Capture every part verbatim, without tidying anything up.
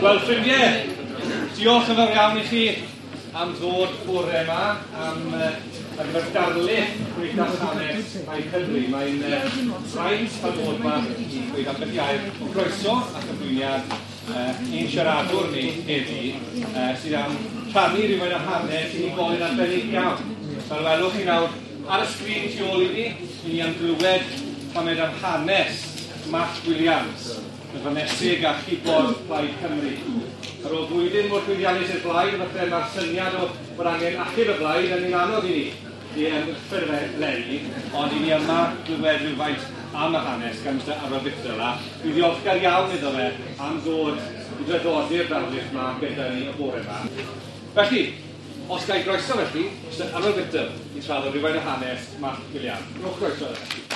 Wel, ffrindiau, diolch yn fawr iawn i chi am ddod bore yma, am uh, ar gyfer darlith Cymdeithas Hanes Plaid Cymru. Mae'n uh, fraint cael bod yma i ddweud ambell i air o groeso a chyflwyniad uh, ein siaradwr ni heddi, uh, sydd am rhannu rhywfaint o hanes unigolyn arbennig iawn. Fel welwch chi nawr ar y sgrin tu ôl i ni, i ni am glywed tamed am hanes Mallt Williams, y fonesig a chibod Plaid Cymru. Ar ôl blwyddyn mor llwyddiannus i'r blaid, falle mae'r syniad o bod angen achub y blaid yn un anodd i ni i ymgyrffyr eleni, ond i ni yma glywed rhywfaint am y hanes gan Mister Arwel Bithell, a dwi'n ddiolchgar iawn iddo fe am ddod i draddodi'r darlith yma gyda ni y bore yma. Felly, os ga i groeso felly, Mister Arwel Bithell i trafod rhywfaint o hanes Mallt Williams. Rhowch groeso iddo.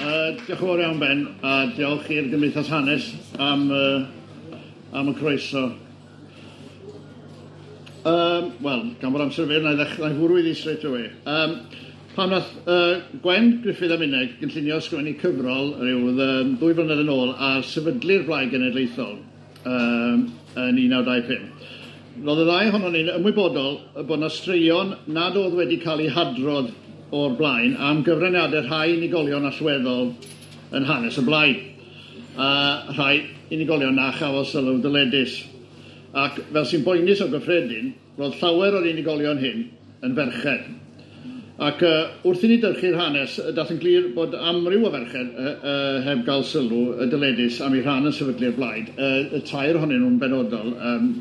Uh, diolch yn fawr iawn, Ben, a diolch i'r Gymdeithas Hanes am, uh, am y croeso. Um, Wel, gan bod amser fyr, na i ddechrau, na i fwrw iddi straight away. Um, pan nath uh, Gwen Gruffydd a minnau gynllunio ysgrifennu cyfrol rhyw um, ddwy flynedd yn ôl ar sefydlu'r Blaid Genedlaethol um, yn un naw dau pump. Roedd y ddau ohonon ni'n ymwybodol bod yna straeon nad oedd wedi cael eu hadrodd o'r blaen am gyfraniadau rhai unigolion allweddol yn hanes y blaid, a rhai unigolion na chafodd sylw dyledus. Ac fel sy'n boenus o gyffredin, roedd llawer o'r unigolion hyn yn ferched. Ac uh, wrth i ni dyrchu'r hanes, dath yn glir bod amryw o ferched uh, uh, heb gael sylw y dyledus am eu rhan yn sefydlu'r blaid, uh, y tair ohonyn nhw'n benodol. Um,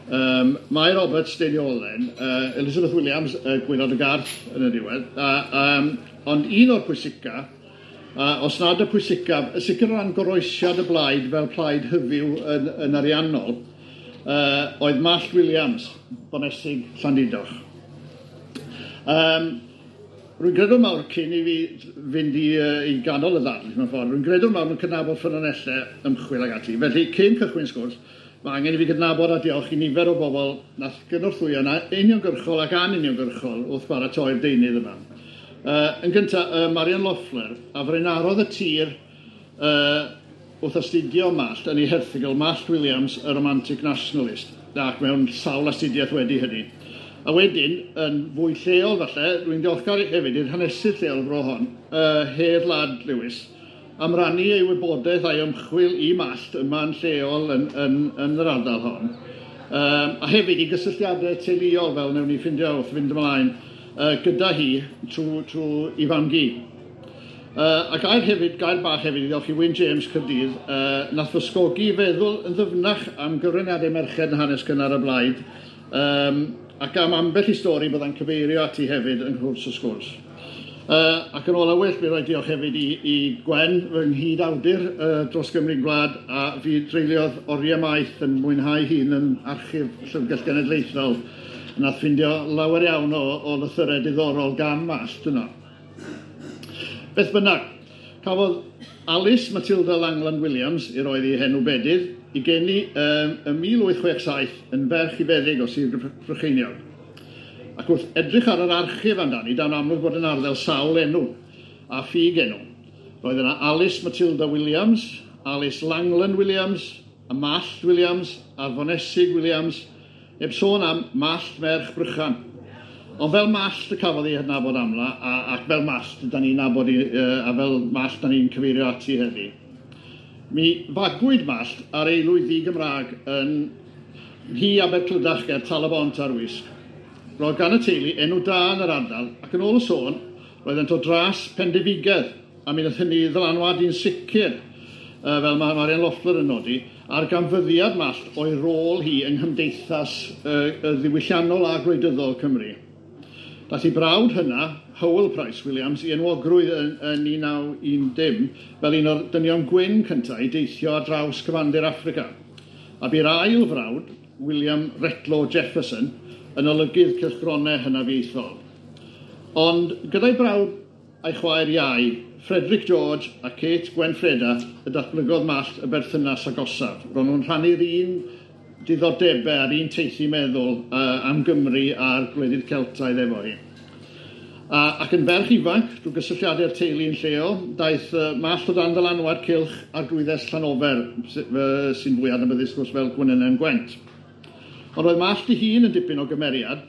Um, Mai Roberts, Deiniolen, uh, Elizabeth Williams, uh, Gwaelod y Garth yn y diwedd, uh, um, ond un o'r pwysica, uh, os nad y pwysicaf, y sicr o ran goroesiad y blaid fel plaid hyfyw yn, yn ariannol, uh, oedd Mallt Williams, bonesig Llandudoch. Um, Rwy'n gredwr mawr cyn i fi fynd i, uh, i ganol y ddarlith mewn ffordd, rwy'n gredwr mawr yn cydnabod ffynonellau ymchwil ag ati. Felly, cyn cychwyn sgwrs, mae angen i fi gydnabod a diolch i nifer o bobl nath gynorthwyo yna uniongyrchol ac anuniongyrchol wrth baratoi'r deunydd yma. Uh, yn gyntaf, uh, Marian Loeffler, a frenarodd y tir uh, wrth astudio Mallt yn ei herthygl Mallt Williams, a Romantic Nationalist, ac mewn sawl astudiaeth wedi hynny. A wedyn, yn fwy lleol falle, rwy'n diolchgar hefyd i'r hanesydd lleol fro hon, uh, Hedd Lad Lewis, am rannu ei wybodaeth a'i ymchwil i Mallt yma'n lleol yn, yn, yn yr ardal hon. Um, a hefyd i gysylltiadau teuluol, fel wnawn ni ffindio wrth fynd ymlaen, uh, gyda hi trwy, trwy i fam-gu. Uh, a gair hefyd, gair bach hefyd i ddiolch i Wyn James Caerdydd, uh, nath fysgogi i feddwl yn ddyfnach am gyfraniadau merched yn hanes cynnar y blaid, um, ac am ambell i stori byddai'n cyfeirio ati hefyd yng nghwrs y sgwrs. Uh, ac yn ôl awell, mi roi diolch hefyd i, i Gwen, fy nghyd-awdur uh, dros Gymru'n Gwlad, a fi dreuliodd oriau maith yn mwynhau hun yn archif Llyfrgell Genedlaethol. Nath ffindio lawer iawn o, o lythyrau diddorol gan Mallt yno. Beth bynnag, cafodd Alice Matilda Langland Williams, i roedd ei henw bedydd, i geni um, ym mil wyth chwech saith yn ferch i feddyg o Sir Brycheiniog. Ac wrth edrych ar yr archif amdani, da'n amlwg bod yn arddel sawl enw a ffug enw. Roedd yna Alice Matilda Williams, Alice Langland Williams, a Mallt Williams, a'r Fonesig Williams, heb sôn am Mallt merch Brychan. Ond fel Mallt y cafodd ei hadnabod amla, a, ac fel Mallt da ni'n nabod i, a fel Mallt da ni'n cyfeirio ati heddi. Mi fagwyd Mallt ar aelwyd ddi-Gymraeg yn Nhŷ Aberclydach ger Tal-y-bont ar Wysg. Roedd gan y teulu enw da yn yr ardal, ac yn ôl y sôn, roeddent o dras pendefigedd, a mi wnaeth hynny ddylanwadu'n sicr, uh, fel mae Marian Loeffler yn nodi, ar ganfyddiad Mallt o'i rôl hi yng nghymdeithas uh, y ddiwylliannol a gwleidyddol Cymru. Daeth ei brawd hynna, Howell Price Williams, i enwogrwydd yn, yn un naw un dim fel un o'r dynion gwyn cyntaf i deithio ar draws cyfandir Affrica. A bu'r ail frawd, William Retlow Jefferson, yn olygydd cylchgronau hynafiaethol. Ond gyda'i brawd a'i chwaer iau, Frederick George a Kate Gwenfreda, y datblygodd Mallt y berthynas agosaf. Ro'n nhw'n rhannu'r un diddordebau a'r un teithi meddwl uh, am Gymru a'r gwledydd Celtaidd efo hi. A, ac yn ferch ifanc, drwy gysylltiadau'r teulu yn lleol, daeth uh, Mallt o dan ddylanwad cylch arglwyddes Llanofer, sy'n fwy adnabyddus gwrs fel Gwenynen Gwent. Ond roedd Mallt ei hun yn dipyn o gymeriad,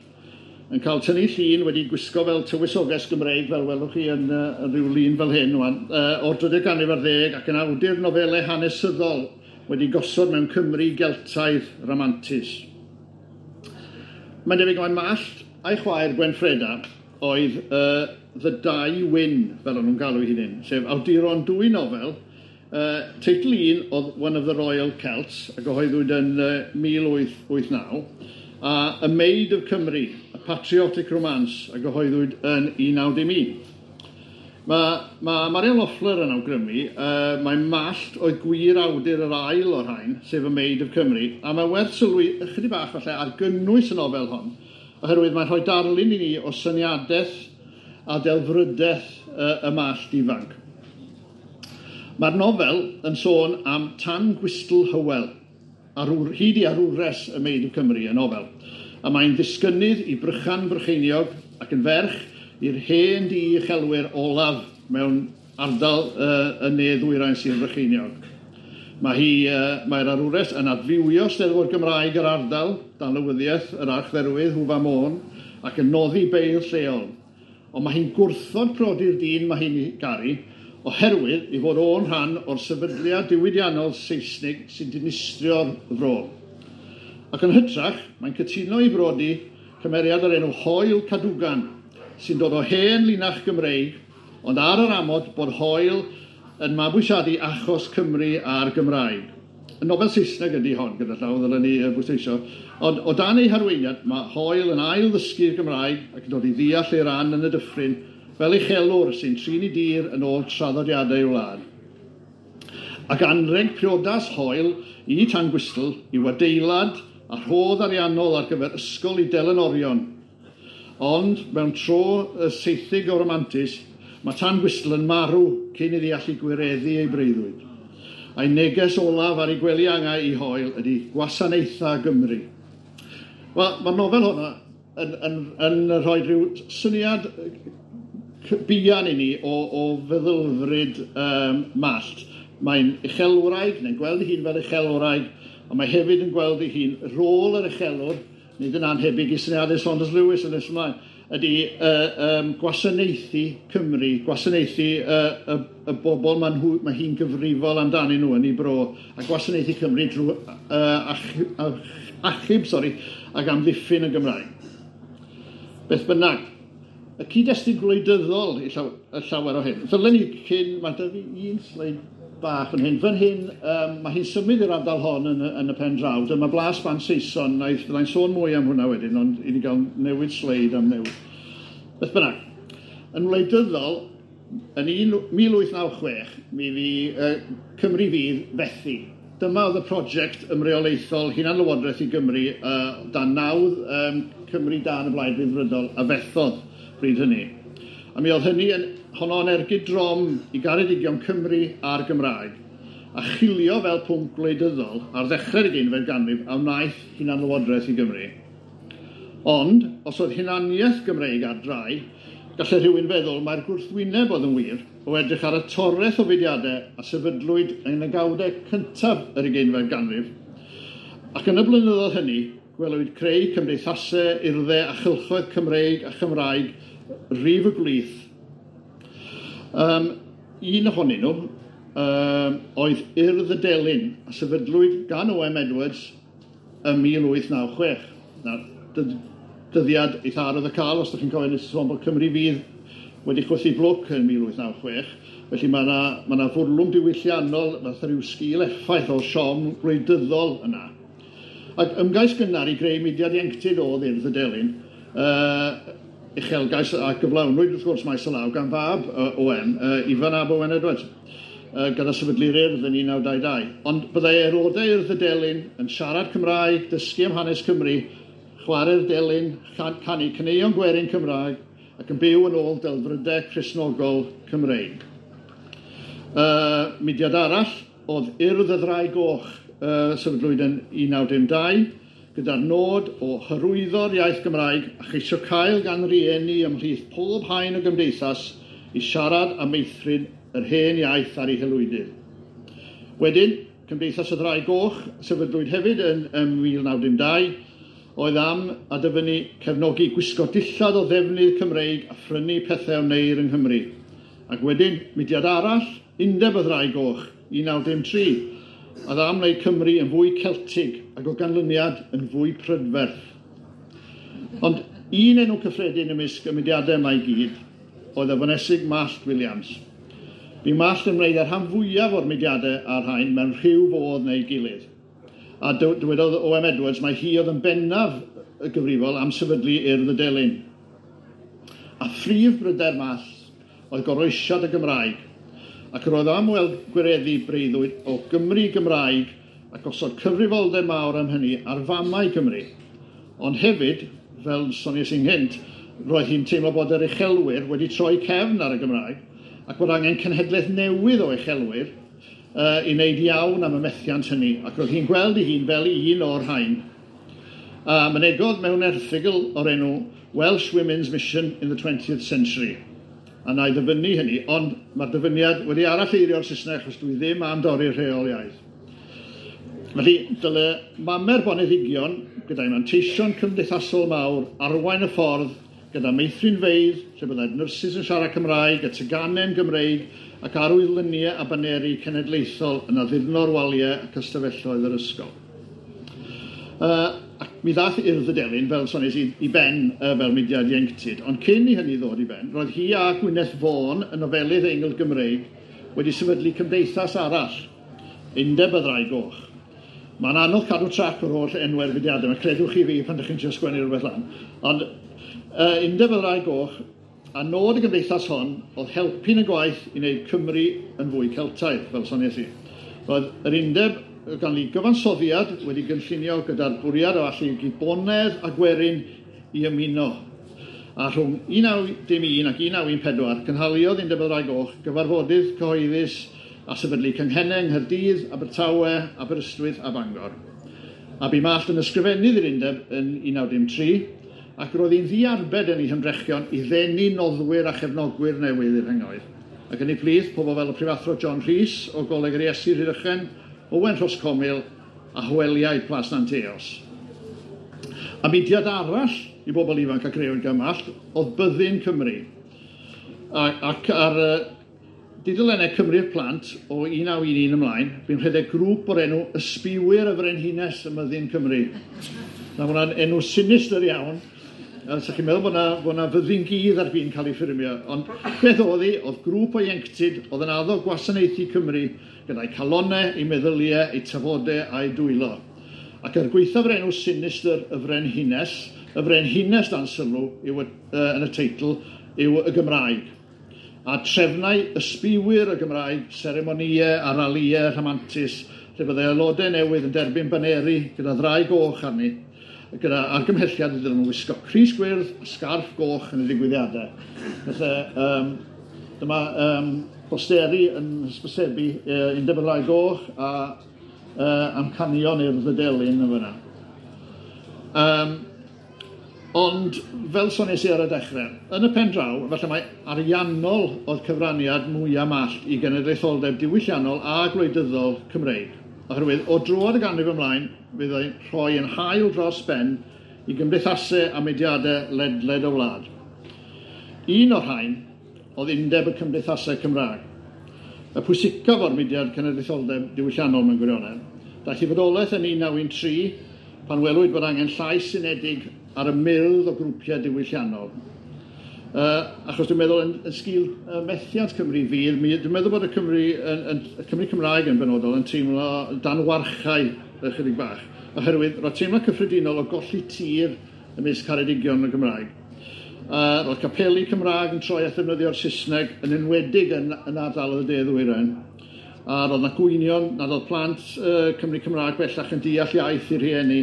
yn cael tynnu llun wedi gwisgo fel tywysoges Gymreig, fel welwch chi yn, uh, yn rhyw lun fel hyn, wan, uh, o'r drydydd ganrif ar ddeg, ac yn awdur nofelau hanesyddol wedi gosod mewn Cymru Geltaidd ramantus. Mae'n debyg mai Mallt a'i chwaer Gwenffreda oedd uh, The Dau Wyn, fel o'n nhw'n galw eu hunain, sef awduron dwy nofel. Uh, teitl un oedd One of the Royal Celts, a gyhoeddwyd yn uh, mil wyth wyth naw, a A Maid of Cymru, A Patriotic Romance, a gyhoeddwyd yn un naw dim un. Mae, mae Marian Loeffler yn awgrymu, uh, mae Mallt oedd gwir awdur yr ail o'r rhain, sef A Maid of Cymru, a mae werth sylwi ychydig bach falle ar gynnwys y nofel hon, oherwydd mae'n rhoi darlun i ni o syniadaeth a delfrydaeth uh, y Mallt ifanc. Mae'r nofel yn sôn am Tan Gwystl Hywel, arwr, hyd i arwres y Maid of Cymru, y nofel. A mae'n ddisgynnydd i Brychan Brycheiniog ac yn ferch i'r hen di uchelwyr olaf mewn ardal uh, yn ne ddwyrain Sir Frycheiniog. Mae hi, uh, mae'r arwres yn adfywio Steddfod Gymraeg yr ardal, dan lywyddiaeth yr archdderwydd Hwfa Môn, ac yn noddi beirdd lleol. Ond mae hi'n gwrthod prodi'r dyn mae hi'n garu, oherwydd ei fod o'n rhan o'r sefydliad diwydiannol Seisnig sy'n dinistrio'r fro. Ac yn hytrach, mae'n cytuno i brodi cymeriad o'r enw Hoel Cadwgan, sy'n dod o hen linach Gymreig, ond ar yr amod bod Hoel yn mabwysiadu achos Cymru a'r Gymraeg. Y nofel Saesneg ydy hon, gyda llaw, ddylen ni bwysleisio. Ond o dan ei harweiniad, mae Hoel yn ail ddysgu'r Gymraeg ac yn dod i ddeall ei ran yn y dyffryn fel uchelwr sy'n trin ei dir yn ôl traddodiadau ei wlad. Ac anrheg priodas Hoel i Tan Gwystl yw adeilad a rhodd ariannol ar gyfer ysgol i delynorion. Ond mewn tro y seithig o romantus, mae Tan Gwystl yn marw cyn iddi allu gwireddu ei breuddwyd. A'i neges olaf ar ei gwely angau i Hoel ydy gwasanaethau Gymru. Wel, mae'r nofel hwnna yn, yn, yn rhoi rhyw syniad buan i ni o, o feddylfryd um, Mallt. Mae'n uchelwraig, neu'n gweld ei hun fel uchelwraig, ond mae hefyd yn gweld ei hun rôl yr uchelwr, nid yn anhebyg i syniadau Saunders Lewis yn nes ymlaen, ydy uh, um, gwasanaethu Cymru, gwasanaethu uh, y, y bobl mae, nhw, mae hi'n gyfrifol amdanyn nhw yn ei bro, a gwasanaethu Cymru drwy uh, ach, ach, achub sorry, ac amddiffyn y Gymraeg. Beth bynnag, y cyd-destun gwleidyddol i llaw, y llawer o hyn. Ddylen ni cyn, mae 'da fi un sleid bach yn hyn. Fan hyn, um, mae hi'n symud i'r ardal hon yn, yn y pen draw. Dyma Blas Bant Saeson, na i byddai'n sôn mwy am hwnna wedyn, ond i ni gael newid sleid am newid. Beth bynnag, yn wleidyddol, yn mil wyth naw chwech, mi fi uh, Cymru Fydd fethu. Dyma oedd y prosiect ymreolaethol hunanlywodraeth i Gymru uh, dan nawdd um, Cymru dan y Blaid Ryddfrydol a fethodd bryd hynny. A mi oedd hynny yn honno yn ergyd drom i garedigion Cymru a'r Gymraeg, a chilio fel pwnc gwleidyddol ar ddechrau'r ugeinfed ganrif a wnaeth hunanlywodraeth i Gymru. Ond, os oedd hunaniaeth Gymreig ar drai, gallai rhywun feddwl mai'r gwrthwyneb oedd yn wir o edrych ar y toreth o fudiadau a sefydlwyd yn y gawdau cyntaf yr ugeinfed ganrif. Ac yn y blynyddoedd hynny, gwelwyd creu cymdeithasau, urddau a chylchoedd Cymreig a Chymraeg rif y gwlith. Um, un ohonyn nhw um, oedd Urdd y Delyn, a sefydlwyd gan O M Edwards ym mil wyth naw chwech. Nawr, dyddiad eitha arwydd y cael, os ydych chi'n cofio nes i sôn bod Cymru Fydd wedi chwythu blwc yn mil wyth naw chwech. Felly mae yna ma na fwrlwm diwylliannol, fath rhyw sgil effaith o siom gwleidyddol yna. Ac ymgais gynnar i greu mudiad ieuenctid oedd Urdd y Delyn, uh, uchelgais a gyflawnwyd wrth gwrs maes o law gan fab uh, O M, uh, Ifan ab Owen Edwards, uh, gyda sefydlu'r Urdd yn un naw dau dau. Ond byddai aelodau Urdd y Delyn yn siarad Cymraeg, dysgu am hanes Cymru, chwarae'r delyn, canu caneuon gwerin Cymraeg ac yn byw yn ôl delfrydau Cristnogol Cymreig. Uh, mudiad arall oedd Urdd y Ddraig Goch, uh, sefydlwyd yn un naw dim dau, gyda'r nod o hyrwyddo'r iaith Gymraeg a cheisio cael gan rieni ymhlith pob haen o gymdeithas i siarad a meithrin yr hen iaith ar ei haelwydydd. Wedyn, Cymdeithas y Ddraig Goch, sefydlwyd hefyd yn, ym mil naw dim dau, oedd am a dyfynnu cefnogi gwisgo dillad o ddefnydd Cymreig a phrynu pethau wneir yng Nghymru. Ac wedyn, mudiad arall, Undeb y Ddraig Goch, un naw dim tri, oedd am wneud Cymru yn fwy Celtig ac o ganlyniad yn fwy prydferth. Ond un enw cyffredin ymysg y mudiadau yma i gyd oedd y Fonesig Mallt Williams. Bu Mallt yn wneud y rhan fwyaf o'r mudiadau a'r rhain mewn rhyw fodd neu gilydd. A dywedodd O M Edwards mai hi oedd yn bennaf y gyfrifol am sefydlu Urdd y Delyn. A phrif bryder Mallt oedd goroesiad y Gymraeg, ac roedd am weld gwireddu breuddwyd o Gymru Gymraeg ac osod cyfrifoldeb mawr am hynny ar famau Cymru. Ond hefyd, fel soniais i'n gynt, roedd hi'n teimlo bod yr uchelwyr wedi troi cefn ar y Gymraeg ac bod angen cenhedlaeth newydd o uchelwyr uh, i wneud iawn am y methiant hynny, ac roedd hi'n gweld ei hun fel un o'r rhain. A mynegodd mewn erthygl o'r enw Welsh Women's Mission in the twentieth Century. A na i ddyfynnu hynny, ond mae'r dyfyniad wedi aralleirio'r Saesneg achos dwi ddim am dorri'r rheol iaith. Felly, dyle mamer boneddigion gyda'i manteision cymdeithasol mawr arwain y ffordd gyda meithrinfeydd, lle byddai'r nyrsys yn siarad Cymraeg, y teganen Gymreig ac arwyddluniau a baneri cenedlaethol yn addurno'r waliau ac ystafelloedd yr ysgol. Uh, ac mi ddath Urdd y Delyn, fel soniais i, i ben uh, fel mudiad ieuenctid, ond cyn i hynny ddod i ben, roedd hi a Gwyneth Vaughan, y nofelydd Eingl Gymreig, wedi sefydlu cymdeithas arall, Undeb y Ddraig Goch. Mae'n anodd cadw trac o'r holl enwau'r fudiadau, mae credwch chi fi pan ydych chi'n trio sgwennu rhywbeth lan. Ond uh, Undeb y Ddraig Goch, a nod y gymdeithas hon oedd helpu'n y gwaith i wneud Cymru yn fwy Celtaidd, fel soniais i. Roedd yr undeb gan ei gyfansoddiad wedi gynllunio gyda'r bwriad o allu bonedd a gwerin i ymuno. A rhwng un naw dim un ac un naw un pedwar, cynhaliodd Undeb y Ddraig Goch gyfarfodydd cyhoeddus a sefydlu cynghennau yng Nghaerdydd, Abertawe, Aberystwyth a Bangor. A bu Mallt yn ysgrifennydd i'r undeb yn un naw dim tri, ac roedd hi'n ddiarbed yn ei hymdrechion i ddenu noddwyr a chefnogwyr newydd i'r rhengoedd. Ac yn ei plith, pobl fel y prifathro John Rhys o Goleg yr Iesu Rhydychen, Owen Rhoscomil a Hweliaid Plas Nanteos. A mudiad arall i bobl ifanc a grëwyd gan Mallt oedd Byddin Cymru. A, ac ar uh, dudalennau Cymru'r Plant o un naw un un ymlaen, bu'n rhedeg grŵp o'r enw Ysbiwyr y Frenhines ym Myddin Cymru. Na, mae hwnna'n enw sinistr iawn. Sa chi'n meddwl bod na, bod na fyddin gudd ar fin cael ei ffurmio. Ond beth oedd hi, oedd grŵp o ieuenctid oedd yn addo gwasanaethu Cymru gyda'i calonnau, ei meddyliau, ei tafodau a'i dwylo. Ac er gwaethaf yr enw sinistr y Frenhines, y Frenhines dan sylw yw, uh, yn y teitl yw y Gymraeg. A trefnau ysbiwyr y Gymraeg, seremonïau a ralïau rhamantus, lle byddai aelodau newydd yn derbyn baneri gyda ddraig goch arni, gyda argymhelliad iddyn nhw wisgo crys gwyrdd a sgarff goch yn y digwyddiadau. Felly, um, dyma um, posteri yn hysbysebu uh, Undeb y Ddraig Goch a uh, amcanion Urdd y Delyn yn fyna. Um, ond, fel soniais i ar y dechrau, yn y pen draw, falle mai ariannol oedd cyfraniad mwyaf Mallt i genedlaetholdeb diwylliannol a gwleidyddol Cymreig. Oherwydd, o droad y ganrif ymlaen, fyddai'n rhoi yn hael dros ben i gymdeithasau a mudiadau ledled y wlad. Un o'r rhain oedd Undeb y Cymdeithasau Cymraeg. Y pwysicaf o'r mudiad cenedlaetholdeb diwylliannol mewn gwirionedd. Daeth i fodolaeth yn un naw un tri pan welwyd bod angen llais unedig ar y myrdd o grwpiau diwylliannol. Uh, achos dwi'n meddwl yn, yn sgil uh, methiant Cymru fydd, dwi'n meddwl bod y Cymru, yn, yn, y Cymru Cymraeg yn benodol yn teimlo dan warchau ychydig bach, oherwydd roedd teimlo cyffredinol o golli tir ymysg caredigion y Gymraeg. Uh, roedd capeli Cymraeg yn troi at ddefnyddio'r Saesneg yn enwedig yn, yn ardal y De Ddwyrain. A roedd na gwynion nad oedd plant uh, Cymru Cymraeg bellach yn deall iaith i'r rhieni,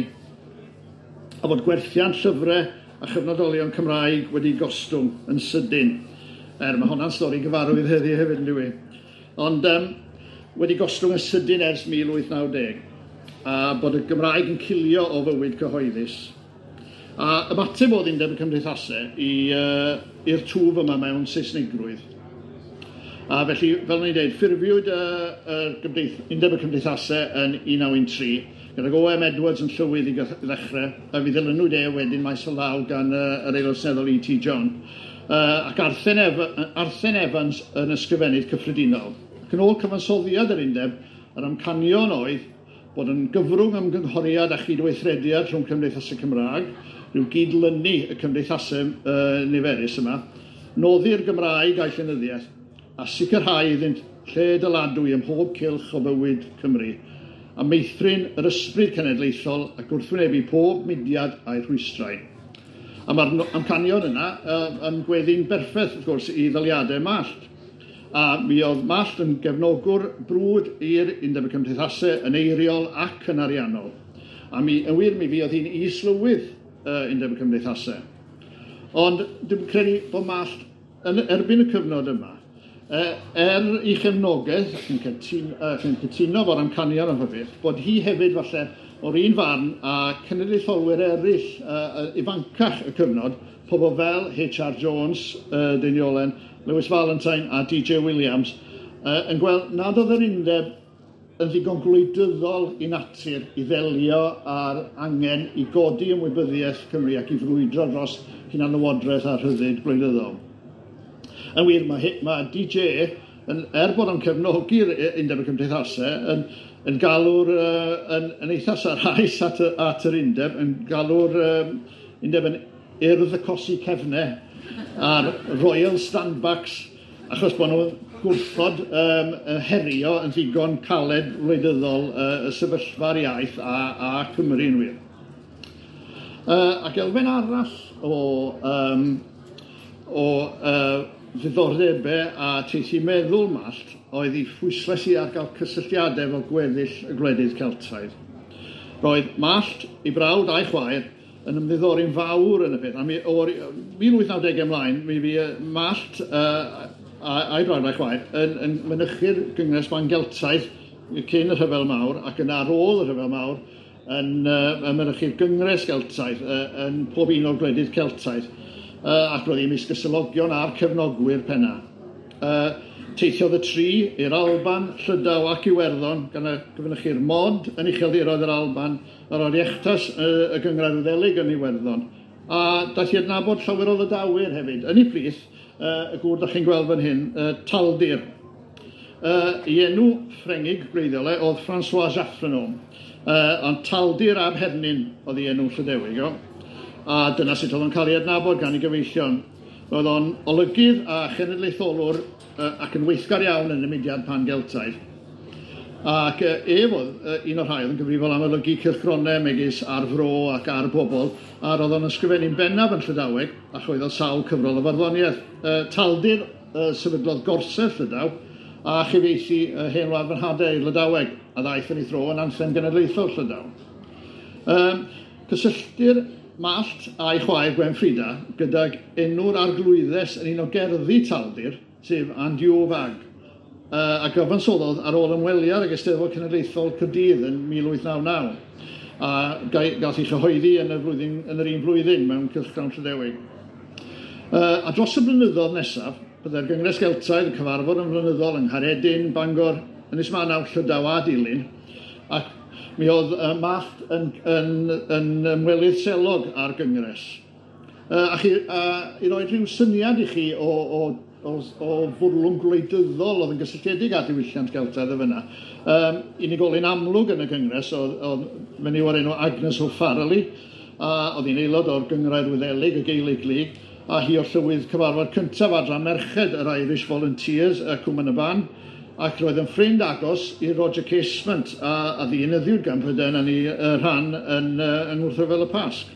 a bod gwerthiant llyfrau a chyfnodolion Cymraeg wedi gostwng yn sydyn. Er, mae hwnna'n stori gyfarwydd heddiw hefyd, yn dyw? Ond um, wedi gostwng yn sydyn ers mil wyth naw deg. a bod y Gymraeg yn cilio o fywyd cyhoeddus. A ymateb oedd Undeb y Cymdeithasau i'r twf yma mewn Saesnigrwydd. A felly, fel o'n i'n dweud, ffurfiwyd y Undeb y Cymdeithasau yn un naw un tri, gydag O M Edwards yn llywydd i ddechrau, a fi ddilynwyd e wedyn maes o law gan yr Aelod Seneddol E T John, ac Arthur Evans yn ysgrifennydd cyffredinol. Ac yn ôl cyfansoddiad yr undeb, yr amcanion oedd bod yn gyfrwng ymgynghoriad a chydweithrediad rhwng Cymdeithasau Cymraeg, rhyw gydlynu y cymdeithasau uh, niferus yma, noddi'r Gymraeg a'i llenyddiaeth, a sicrhau iddynt lle dyladwy ym mhob cylch o fywyd Cymru, a meithrin yr ysbryd cenedlaethol ac wrthwynebu pob mudiad a'i rhwystrau. A mae'r amcanion yna uh, yn gweddi'n berffaith, wrth gwrs, i ddaliadau Mallt. A mi oedd Mallt yn gefnogwr brwd i'r Undeb y Cymdeithasau yn eiriol ac yn ariannol. A mi, yn wir, mi fuodd hi'n is-lywydd uh, Undeb y Cymdeithasau. Ond dwi'n credu bod Mallt yn erbyn y cyfnod yma, er ei chefnogaeth, ac yn cytuno, yn cytuno fo'r amcanion am beth, bod hi hefyd falle o'r un farn a cenedlaetholwyr eraill uh, ifancach y cyfnod, pobl fel H R Jones, uh, Deiniolen, Lewis Valentine a D J Williams, uh, yn gweld nad oedd yr undeb yn ddigon gwleidyddol i natur i ddelio â'r angen i godi ymwybyddiaeth Cymru ac i frwydro dros hunanlywodraeth a rhyddid gwleidyddol. Yn wir, mae, mae D J, yn, er bod o'n cefnogi'r Undeb y Cymdeithasau, yn, yn galw'r, uh, yn, yn eitha sarhaus at, at yr undeb, yn galw'r um, undeb yn urdd y cosi cefnau a'r Royal Standbacks, achos bod nhw'n gwrthod um, herio yn ddigon caled wleidyddol uh, y sefyllfa'r iaith a, a Cymru yn wir. Uh, ac elfen arall o, um, o uh, ddiddordebau a teithu meddwl Mallt oedd ei phwyslais i ar gael cysylltiadau efo gweddill y gwledydd Celtaidd. Roedd Mallt, ei brawd a'i chwaer, yn ymddiddori'n fawr yn y peth. A mi, o'r mil wyth naw deg ymlaen, mi fu Mallt uh, a'i brawd a'i chwaer yn, yn mynychu'r Gyngres Ban Geltaidd cyn y Rhyfel Mawr ac yn ar ôl y Rhyfel Mawr yn, uh, yn mynychu'r Gyngres Geltaidd uh, yn pob un o'r gwledydd Celtaidd. Uh, ac roedd hi ymysg y selogion a'r cefnogwyr penna. Uh, teithiodd y tri i'r Alban, Llydaw ac Iwerddon, gan y gyfynychu'r Mod yn ucheldiroedd yr Alban, yr Oireachtas uh, y Gynghrair Wyddeleg yn Iwerddon. A daeth i adnabod llawer o Lydawyr hefyd. Yn ei plith, uh, y gŵr dach chi'n gweld fan hyn, uh, Taldir. Uh, ei enw Ffrengig gwreiddiol e oedd François Jaffrenou, uh, ond Taldir ab Hernin oedd ei enw Llydewig. O. A dyna sut oedd o'n cael ei adnabod gan ei gyfeillion. Roedd o'n olygydd a chenedlaetholwr uh, ac yn weithgar iawn yn y mudiad pan-Geltaidd. Ac uh, ef oedd uh, un o'r rhai oedd yn gyfrifol am olygu cylchgronau megis Ar Fro ac Ar Bobl, a roedd o'n ysgrifennu'n bennaf yn Llydaweg a chwyddodd sawl cyfrol o farddoniaeth. Uh, Taldir uh, sefydlodd Gorsedd Llydaw a chyfieithu uh, Hen Wlad Fy Nhadau i'r Lydaweg, a ddaeth yn ei thro yn anthem genedlaethol Llydaw. Um, cysylltir Mallt a'i chwaer Gwen Frida gydag enw'r arglwyddes yn un o gerddi Taldir, sef Andiw Fag, uh, a gyfansoddodd ar ôl ymweliad ag Eisteddfod Cenedlaethol Caerdydd yn mil wyth naw naw, a gath ei chyhoeddi yn y, flwyddyn, yn yr un flwyddyn mewn cylchgrawn Llydewig. Uh, a dros y blynyddoedd nesaf, byddai'r Gyngres Geltaidd yn cyfarfod yn flynyddol yng Nghaeredin, Bangor, Ynys Manaw, Llydaw a Dulyn, ac mi oedd uh, Mallt yn, yn, yn ymwelydd selog ar gyngres. Uh, a chi, uh, i roi rhyw syniad i chi o, o, o, o fwrlwm gwleidyddol oedd yn gysylltiedig â diwylliant Geltaidd y fyna. Um, unigolyn amlwg yn y gyngres oedd, oedd menyw o'r enw Agnes O'Farrelly, a oedd hi'n aelod o'r Gynghrair Wyddelig, y Gaelic League, a hi o'r llywydd cyfarfod cyntaf adran merched yr Irish Volunteers, y Cwm yn y Ban, ac roedd yn ffrind agos i Roger Casement, a, a ddienyddiwyd gan Prydain yn ei rhan yn, yng Ngwrthryfel y Pasg.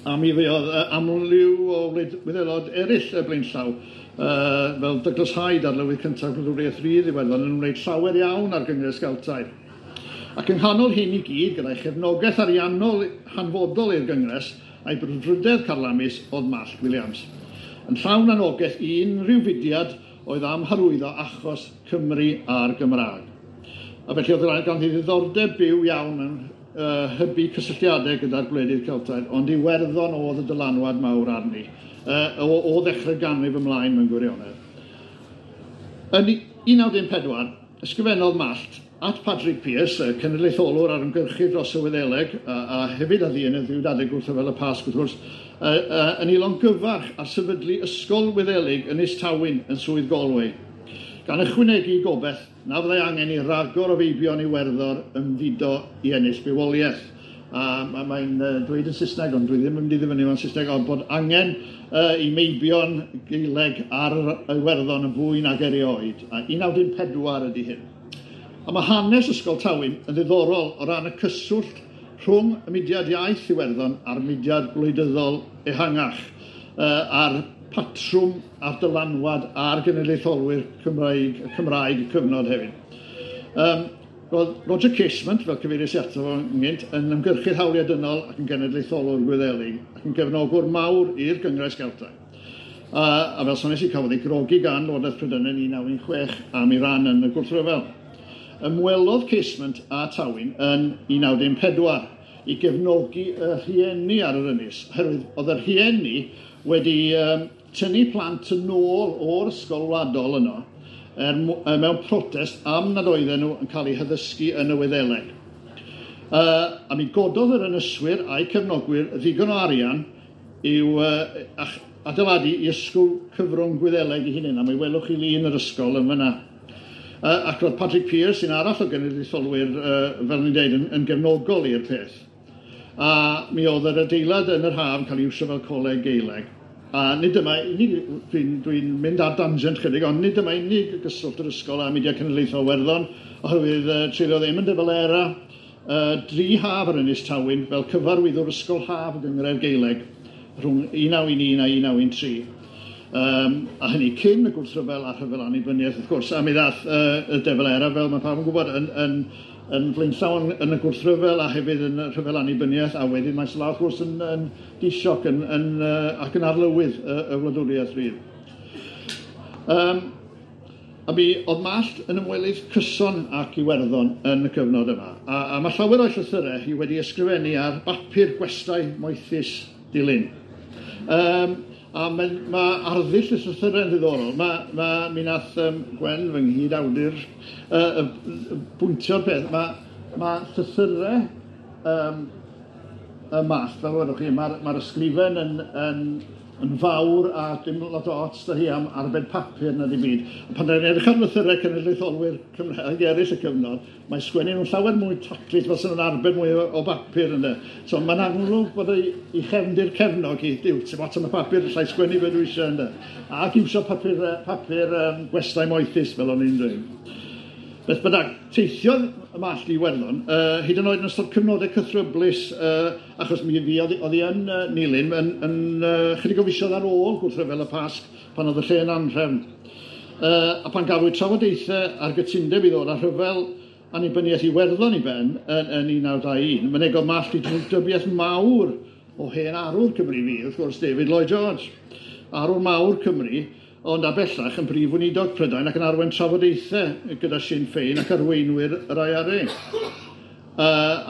A mi fuodd amryw o wyddelod eraill y blaenllaw, uh, fel Douglas Hyde, arlywydd cyntaf Gwladwriaeth Rydd Iwerddon, yn wneud llawer iawn ar Gyngres Geltaidd. Ac yng nghanol hyn i gyd, gyda'i chefnogaeth ariannol hanfodol i'r Gyngres, a'i brwdfrydedd carlamus oedd Mallt Williams. Yn llawn anogaeth i unrhyw fudiad oedd am hyrwyddo achos Cymru a'r Gymraeg. A felly oedd ganddi ddiddordeb byw iawn mewn uh, hybu cysylltiadau gyda'r gwledydd Celtaidd, ond Iwerddon oedd y dylanwad mawr arni, uh, o, o ddechrau ganrif ymlaen mewn gwirionedd. Yn un naw dim pedwar, ysgrifennodd Mallt at Patrick Pearse, y cenedlaetholwr a'r ymgyrchydd dros y Wyddeleg, a, a hefyd a ddyn y ddiwyd gwrthryfel y Pasg, wrth gwrs, a, a, yn ei longyfarch ar sefydlu Ysgol Wyddelig yn Ynys Tywyn yn Swydd Galway, gan ychwanegu gobeith na fyddai angen i ragor o feibion Iwerddon ymfudo i ennill bywoliaeth. A mae'n dweud yn Saesneg, ond dwi ddim yn mynd i ddifynnu fo'n Saesneg, ond bod angen uh, i meibion Gaeleg ar Iwerddon yn fwy nag erioed. A un naw dim pedwar ydy hyn. A mae hanes Ysgol Tywyn yn ddiddorol o ran y cyswllt rhwng y mudiad iaith Iwerddon a'r mudiad gwleidyddol ehangach, uh, a'r patrwm a'r dylanwad a'r genedlaetholwyr Cymraeg, Cymraeg y cyfnod hefyd. Um, roedd Roger Casement, fel cyfeiriais i ato fo ynghynt, yn ymgyrchydd hawliau dynol ac yn genedlaetholwr Gwyddelig ac yn gefnogwr mawr i'r Gyngres Geltaidd. A, a fel soniais i, cafodd ei grogi gan Lywodraeth Prydain yn un naw un chwech am ei ran yn y gwrthryfel. Ymwelodd Casement a Tywyn yn un naw dim pedwar i gefnogi y rhieni ar yr ynys, oherwydd oedd y rhieni wedi um, tynnu plant yn ôl o'r ysgol wladol yno er, mewn protest am nad oedden nhw yn cael eu haddysgu yn y Wyddeleg. Uh, a mi gododd yr ynyswyr a'i cefnogwyr ddigon o arian i'w uh, adeiladu i ysgol cyfrwng Gwyddeleg ei hunain, a mi welwch chi lun yr ysgol yn fyna. Uh, ac roedd Patrick Pearse, un arall o genedlaetholwyr, uh, fel ni'n dweud, yn, yn gefnogol i'r peth. A mi oedd yr adeilad yn yr haf yn cael ei iwsio fel coleg Gaeleg. A nid yma unig, dwi'n dwi mynd ar dangent chydig, ond nid yma unig gyswllt yr ysgol a mudiad cenedlaethol Iwerddon, oherwydd uh, treuliodd Eamon de Valera uh, dri haf ar Ynys Tywyn fel cyfarwyddwr ysgol haf y Gynghrair Gaeleg rhwng un naw un un a un naw un tri. Um, a hynny cyn y gwrthryfel a rhyfel annibyniaeth, wrth gwrs. A mi ddath uh, y de Valera, fel mae pawb yn gwybod, yn, yn, yn flaenllaw yn, yn y gwrthryfel a hefyd yn y rhyfel annibyniaeth, a wedyn mae'n law, wrth gwrs, yn, yn disioc yn, yn, uh, ac yn arlywydd y, y wladwriaeth rydd. Um, a mi oedd Mallt yn ymwelydd cyson ac Iwerddon yn y cyfnod yma. A, a mae llawer o'i llythyrau hi wedi ysgrifennu ar bapur gwestai moethus Dulyn. Um, A mae, mae arddull y llythyrau yn ddiddorol. Mae, mae, mi nath um, Gwen, fy nghyd-awdur, uh, uh, bwyntio'r peth. Mae, mae llythyrau um, y Mallt, fel wedwch chi, mae'r mae ysgrifen yn, yn, yn fawr a dim lot o ots da hi am arbed papur na dim byd. Pan ni'n edrych ar lythyrau cenedlaetholwyr Cymraeg eraill y cyfnod, mae sgwennu nhw'n llawer mwy taclus, fel sy'n nhw'n arbed mwy o, o bapur ynddo. So mae'n amlwg bod ei, ei chefndir cefnog i, diw, ti'n lot am y papur, allai sgwennu be dwi eisiau ynddo. Ac iwsio papur, papur um, gwestai moethus, fel o'n i'n dweud. Beth bynnag, teithiodd y Mallt i Iwerddon, uh, hyd yn oed yn ystod cyfnodau cythryblus, uh, achos mi fi oedd hi yn uh, Nulyn, yn, yn uh, chydig o fisoedd ar ôl gwrthryfel y Pasg, pan oedd y lle yn anhrefn. Uh, a pan gafwyd trafodaethau ar gytundeb i ddod â rhyfel annibyniaeth Iwerddon i ben yn, yn un naw dau un, mynegodd Mallt i drwgdybiaeth mawr o hen arwr Cymru fi, wrth gwrs David Lloyd George, arwr mawr Cymru, ond a bellach yn brif weinidog Prydain ac yn arwain trafodaethau gyda Sinn Féin ac arweinwyr yr I R A. Uh,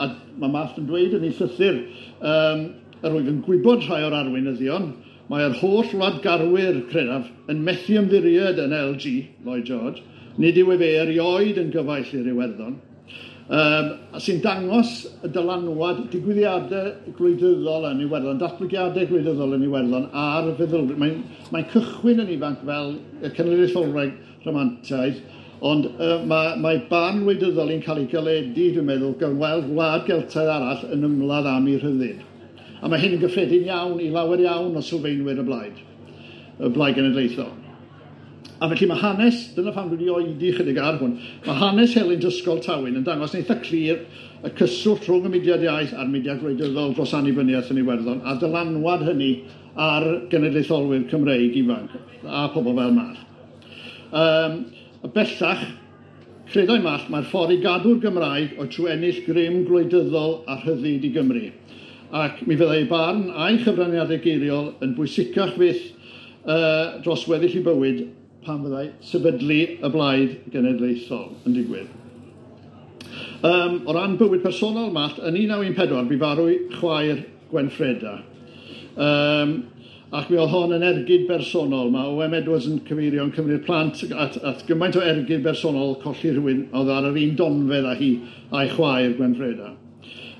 a mae Mallt yn dweud yn ei llythyr, um, yr wyf yn gwybod rhai o'r arweinyddion, mae'r holl wladgarwyr, credaf, yn methu ymddiried yn L G, Lloyd George, nid yw efe erioed yn gyfaill i'r Iwerddon, um, sy'n dangos y dylanwad digwyddiadau gwleidyddol yn Iwerddon, datblygiadau gwleidyddol yn Iwerddon a'r feddylfryd. Mae'n mae cychwyn yn ifanc fel y cenedlaetholwraig rhamantaidd, ond uh, mae, mae barn wleidyddol yn cael ei galedu, dwi'n meddwl, gan weld gwlad Geltaidd arall yn ymladd am ei rhyddid. A mae hyn yn gyffredin iawn i lawer iawn o sylfaenwyr y blaid, y blaid genedlaethol. A felly mae hanes, dyna pham dwi wedi oedi chydig ar hwn, mae hanes helynt Ysgol Tywyn yn dangos yn eitha clir y cyswllt rhwng y mudiad iaith a'r mudiad gwleidyddol dros annibyniaeth yn Iwerddon, a dylanwad hynny ar genedlaetholwyr Cymreig ifanc a pobl fel Mallt. Um, bellach, credai Mallt mae'r ffordd i gadw'r Gymraeg oedd trwy ennill grym gwleidyddol a rhyddid i Gymru. Ac mi fyddai ei barn a'i chyfraniadau geiriol yn bwysicach fyth uh, dros weddill ei bywyd pan fyddai sefydlu y blaid genedlaethol yn digwydd. Um, o ran bywyd personol Mallt, yn un naw un pedwar, bu farw chwaer Gwenffreda. Um, ac mi oedd hon yn ergyd bersonol. Mae O M Edwards yn cyfeirio yn cymryd plant at, at gymaint o ergyd bersonol colli rhywun oedd ar yr un donfedd â hi a'i chwaer Gwenffreda.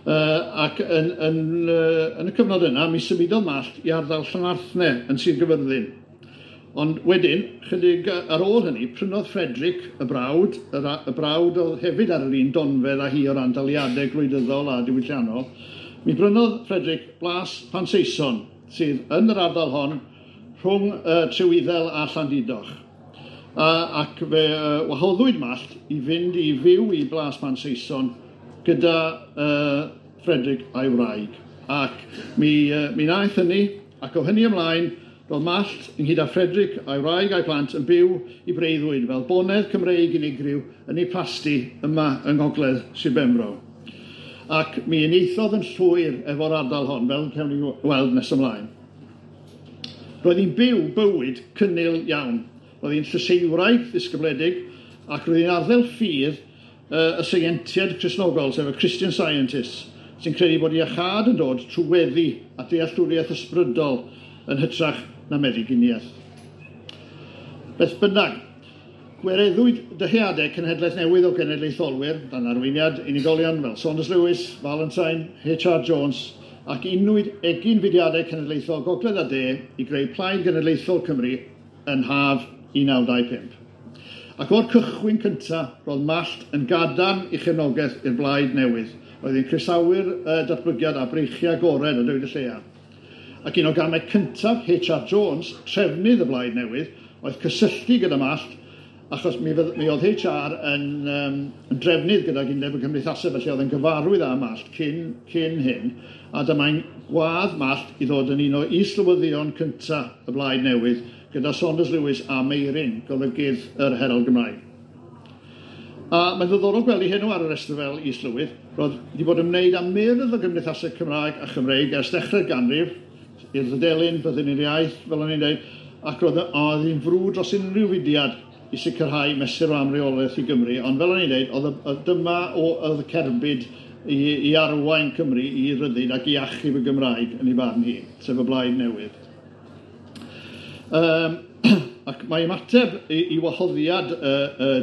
Uh, ac yn, yn, uh, yn y cyfnod yna, mi symudodd Mallt i ardal Llanarthne yn Sir Gyfyrddin. Ond wedyn, chydig ar ôl hynny, prynodd Frederick y brawd, y, y brawd oedd hefyd ar yr un donfedd â hi o ran daliadau gwleidyddol a diwylliannol, mi brynodd Frederick Blas Pansaeson, sydd yn yr ardal hon rhwng uh, Trewyddel a Llandudoch. Uh, ac fe uh, wahoddwyd Mallt i fynd i fyw i Blas Pansaeson gyda uh, Frederick a'i wraig. Ac mi, uh, mi wnaeth hynny, ac o hynny ymlaen, roedd Mallt, ynghyd â Frederick a'i wraig a'i plant, yn byw i breuddwyd fel bonedd Cymreig unigryw yn ei plasty yma yng Ngogledd Sir Benfro. Ac mi unieithodd yn llwyr efo'r ardal hon, fel cawn ni weld nes ymlaen. Roedd hi'n byw bywyd cynnil iawn. Roedd hi'n llyseiwraig ddisgybledig ac roedd hi'n arddel ffydd uh, y seientiaid Cristnogol, sef y Christian Scientists, sy'n credu bod iachâd yn dod trwy weddi a dealltwriaeth ysbrydol yn hytrach na meddyginiaeth. Beth bynnag, gwireddwyd dyheadau cenhedlaeth newydd o genedlaetholwyr dan arweiniad unigolion fel Saunders Lewis, Valentine, H R Jones ac unwyd egin fudiadau cenedlaethol Gogledd a De i greu Plaid Genedlaethol Cymru yn haf un naw dau pump. Ac o'r cychwyn cyntaf, roedd Mallt yn gadarn i chefnogaeth i'r blaid newydd. Roedd hi'n croesawu'r uh, datblygiad a breichiau agored a dweud y lleia. Ac un o gamau cyntaf H R Jones, trefnydd y blaid newydd, oedd cysylltu gyda Mallt, achos mi, fydd, mi oedd H R yn, um, yn drefnydd gydag Undeb y Cymdeithasau, felly oedd yn gyfarwydd â Mallt cyn, cyn hyn, a dyma'n gwadd Mallt i ddod yn un o islywyddion cyntaf y blaid newydd, gyda Saunders Lewis a Meirin, golygydd yr Herald Gymraeg. A mae'n ddiddorol gweld ei henw ar y rhestr fel islywydd. Roedd wedi bod yn ymwneud â myrdd o gymdeithasau Cymraeg a Chymreig ers dechrau'r ganrif, i'r Ddydelyn, Byddin i'r Iaith, fel o'n i'n dweud, ac roedd oedd hi'n frwd dros unrhyw fudiad i sicrhau mesur o amreolaeth i Gymru, ond fel o'n i'n dweud, oedd, oedd dyma o, oedd y cerbyd i, i arwain Cymru i ryddid ac i achub y Gymraeg yn ei barn hi, sef y blaid newydd. Um, ac mae ymateb i, i wahoddiad uh, uh,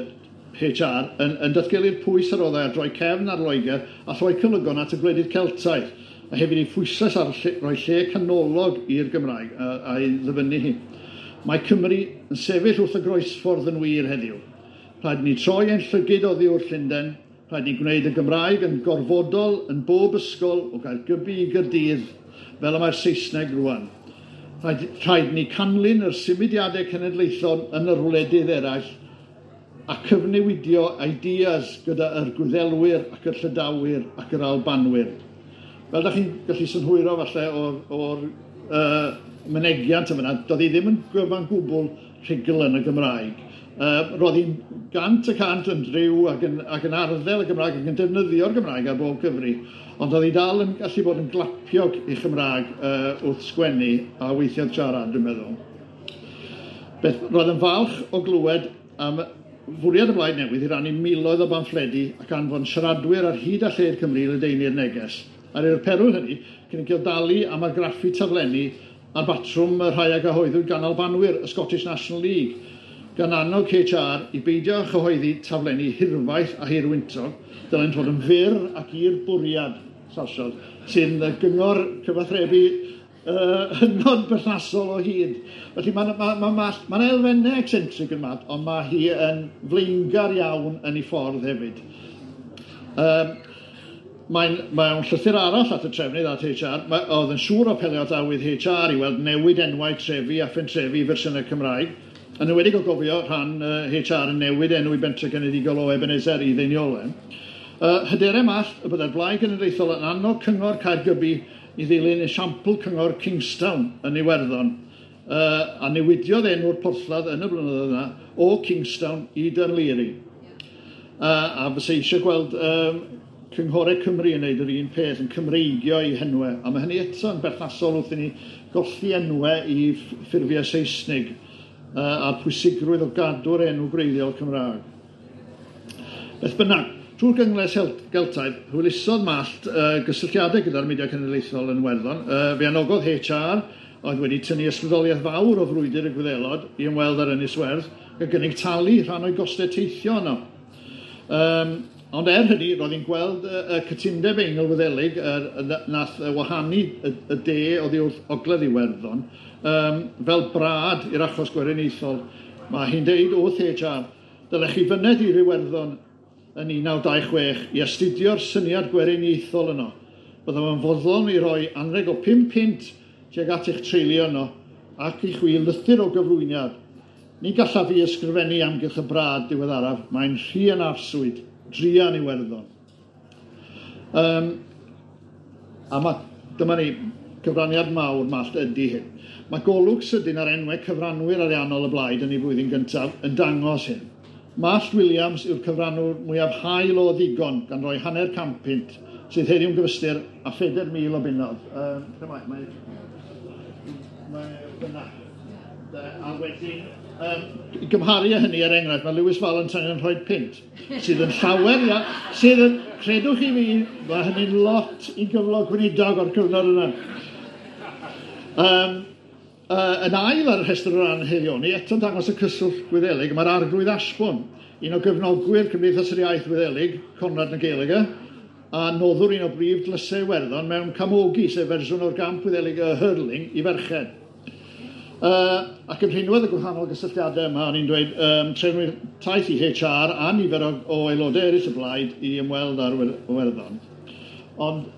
H R yn, yn datgelu'r pwys ar roddai ar droi cefn ar Loegr a throi cylygon at y gwledydd Celtaidd, a hefyd ei phwyslais ar lle, roi lle canolog i'r Gymraeg a, a'i ddyfynnu hi. Mae Cymru yn sefyll wrth y groesffordd yn wir heddiw. Rhaid ni troi ein llygid oddi wrth Llundain, rhaid ni gwneud y Gymraeg yn gorfodol yn bob ysgol o Gaergybi i Gaerdydd, fel y mae'r Saesneg rwan. Rhaid, rhaid ni canlyn yr symudiadau cenedlaethol yn yr wledydd eraill a cyfnewidio ideas gyda yr Gwyddelwyr ac yr Llydawyr ac yr Albanwyr. Fel da chi'n gallu synhwyro falle o'r, or, uh, mynegiant yma, doedd hi ddim yn gyfan gwbl rhugl yn y Gymraeg. Uh, roedd hi'n gant y cant yn driw ac yn, ac yn arddel y Gymraeg ac yn defnyddio'r Gymraeg ar bob cyfri, ond oedd hi dal yn gallu bod yn glapiog i Chymraeg uh, wrth sgwennu a weithiau siarad, dwi'n meddwl. Beth, roedd yn falch o glywed am fwriad y Blaid Newydd i rannu miloedd o bamffledi ac anfon siaradwyr ar hyd a lled Cymru i ledaenu'r neges. Ar i'r perwyl hynny, cynigiodd dalu am argraffu taflenni ar batrwm y rhai a gyhoeddwyd gan Albanwyr, y Scottish National League, gan annog H R i beidio â chyhoeddi taflenni hirfaith a hirwyntog, dylent fod yn fyr ac i'r bwriad, sarsiodd, sy'n gyngor cyfathrebu uh, hynod berthnasol o hyd. Felly mae'n ma, ma, ma, ma elfennau eccentric yn Mallt, ond mae hi yn flaengar iawn yn ei ffordd hefyd. Um, Mae'n mae llythyr arall at y trefnydd at H R, mae, oedd yn siŵr o apelio at awydd H R i weld newid enwau trefi a phentrefi i fersiynau Cymraeg, yn enwedig o gofio rhan uh, H R yn newid enw i bentre genedigol o Ebenezer i Ddeiniolen. Uh, hyderau Mallt y byddai'r Blaid Genedlaethol yn annog Cyngor Caergybi i ddilyn esiampl Cyngor Kingstown yn Iwerddon, uh, a newidiodd enw'r porthladd yn y blynyddoedd yna o Kingstown i Dunleary. Uh, a fysa eisiau gweld um, Cynghorau Cymru yn gwneud yr un peth, yn Cymreigio i henwau. A mae hynny eto yn berthnasol wrth i ni golli enwau i ffurfiau Saesnig uh, a'r pwysigrwydd o gadw'r enw gwreiddiol Cymraeg. Beth bynnag, Trwy'r Gyngres Geltaidd, hwylusodd Mallt uh, gysylltiadau gyda'r mudiad cenedlaethol yn Iwerddon. Uh, fe anogodd H R, oedd wedi tynnu ysbrydoliaeth fawr o frwydr y Gwyddelod i ymweld ar Ynys Werdd, gan gynnig talu rhan o'i gostau teithio yno. Um, ond er hynny, roedd hi'n gweld y, y cytundeb Eingl-Wyddelig nath wahanu y, y de oddi wrth ogledd Iwerddon um, fel brad i'r achos gweriniaethol. Mae hi'n deud wrth H R, dylech chi fyned i'r Iwerddon yn un naw dau chwech i astudio'r syniad gweriniaethol yno. Byddaf yn fodlon i roi anrheg o pum punt tuag at eich treulio yno ac i chwi lythyr o gyflwyniad. Ni gallaf fi ysgrifennu amgylch y brad diweddaraf, mae'n rhy yn arswyd, druan Iwerddon. Um, a ma, dyma ni, cyfraniad mawr Mallt ydy hyn. Mae golwg sydyn ar enwau cyfranwyr ariannol y blaid yn ei flwyddyn gyntaf yn dangos hyn. Mallt Williams yw'r cyfranwr mwyaf hael o ddigon gan roi hanner can punt, sydd heddiw'n gyfystyr a phedair mil o bunnoedd. Um, mae, mae, mae fyna. A wedyn, um, i gymharu â hynny er enghraifft, mae Lewis Valentine yn rhoi punt, sydd yn llawer, ia, sydd yn, credwch i fi, mae hynny'n lot i gyflog gweinidog o'r cyfnod yna. Um, Uh, yn ail ar y rhestr o ran haelioni, eto'n dangos y cyswllt Gwyddelig, mae'r Arglwydd Ashbourne, un o gefnogwyr Cymdeithas yr Iaith Wyddelig, Conrad na Gaeilge, a noddwr un o brif dlysau Iwerddon mewn camogi, sef fersiwn o'r gamp Wyddelig y hurling i ferched. Uh, ac yn rhinwedd y gwahanol gysylltiadau yma, o'n i'n dweud, um, trefnwyr taith i H R a nifer o, o aelodau eraill y blaid i ymweld â'r Iwerddon. Ond,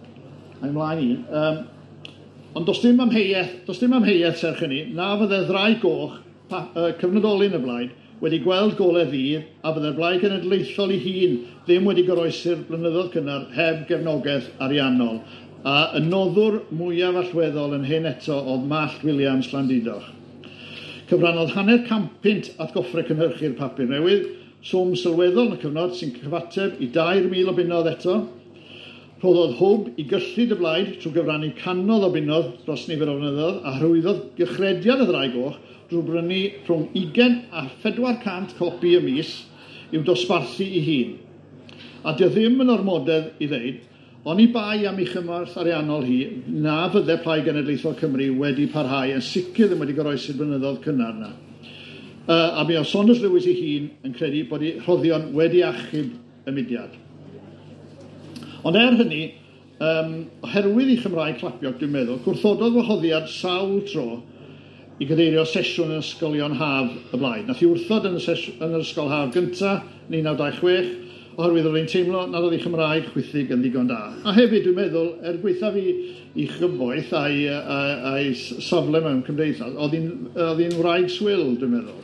a'i mlaen i, um, Ond does dim amheuaeth, does dim amheuaeth serch hynny, na fydde Ddraig Goch, pa, uh, cyfnodolyn y blaid, wedi gweld golau ddydd a fydde'r blaid genedlaethol ei hun ddim wedi goroesi'r blynyddoedd cynnar heb gefnogaeth ariannol. A y noddwr mwyaf allweddol yn hyn eto oedd Mallt Williams Llandudoch. Cyfrannodd hanner can punt at goffre cynhyrchu'r papur newydd, swm sylweddol yn y cyfnod sy'n cyfateb i dair mil o bunnoedd eto. Rhoddodd hwb i gyllid y blaid trwy gyfrannu canodd o bunnoedd dros nifer o flynyddoedd a hyrwyddodd gychrediad y Ddraig Goch drwy brynu rhwng ugain a phedwar cant copi y mis i'w dosbarthu ei hun. A dio ddim yn ormodedd i ddeud, oni bai am ei chymorth ariannol hi, na fydde Plaid Genedlaethol Cymru wedi parhau, yn sicr ddim wedi goroesi'r blynyddoedd cynnar yna. Uh, a mi oedd Saunders Lewis ei hun yn credu bod ei rhoddion wedi achub y mudiad. Ond er hynny, um, oherwydd ei Chymraeg clapiog, dwi'n meddwl, gwrthododd wahoddiad sawl tro i gadeirio sesiwn yn ysgolion haf y blaid. Nath i wrthod yn y, sesiwn, yn yr ysgol haf gyntaf, un naw dau chwech, oherwydd oedd hi'n teimlo nad oedd ei Chymraeg chwithig yn ddigon da. A hefyd, dwi'n meddwl, er gwaethaf i, i chyfoeth a'i, a'i safle mewn cymdeithas, oedd hi'n wraig swil, dwi'n meddwl.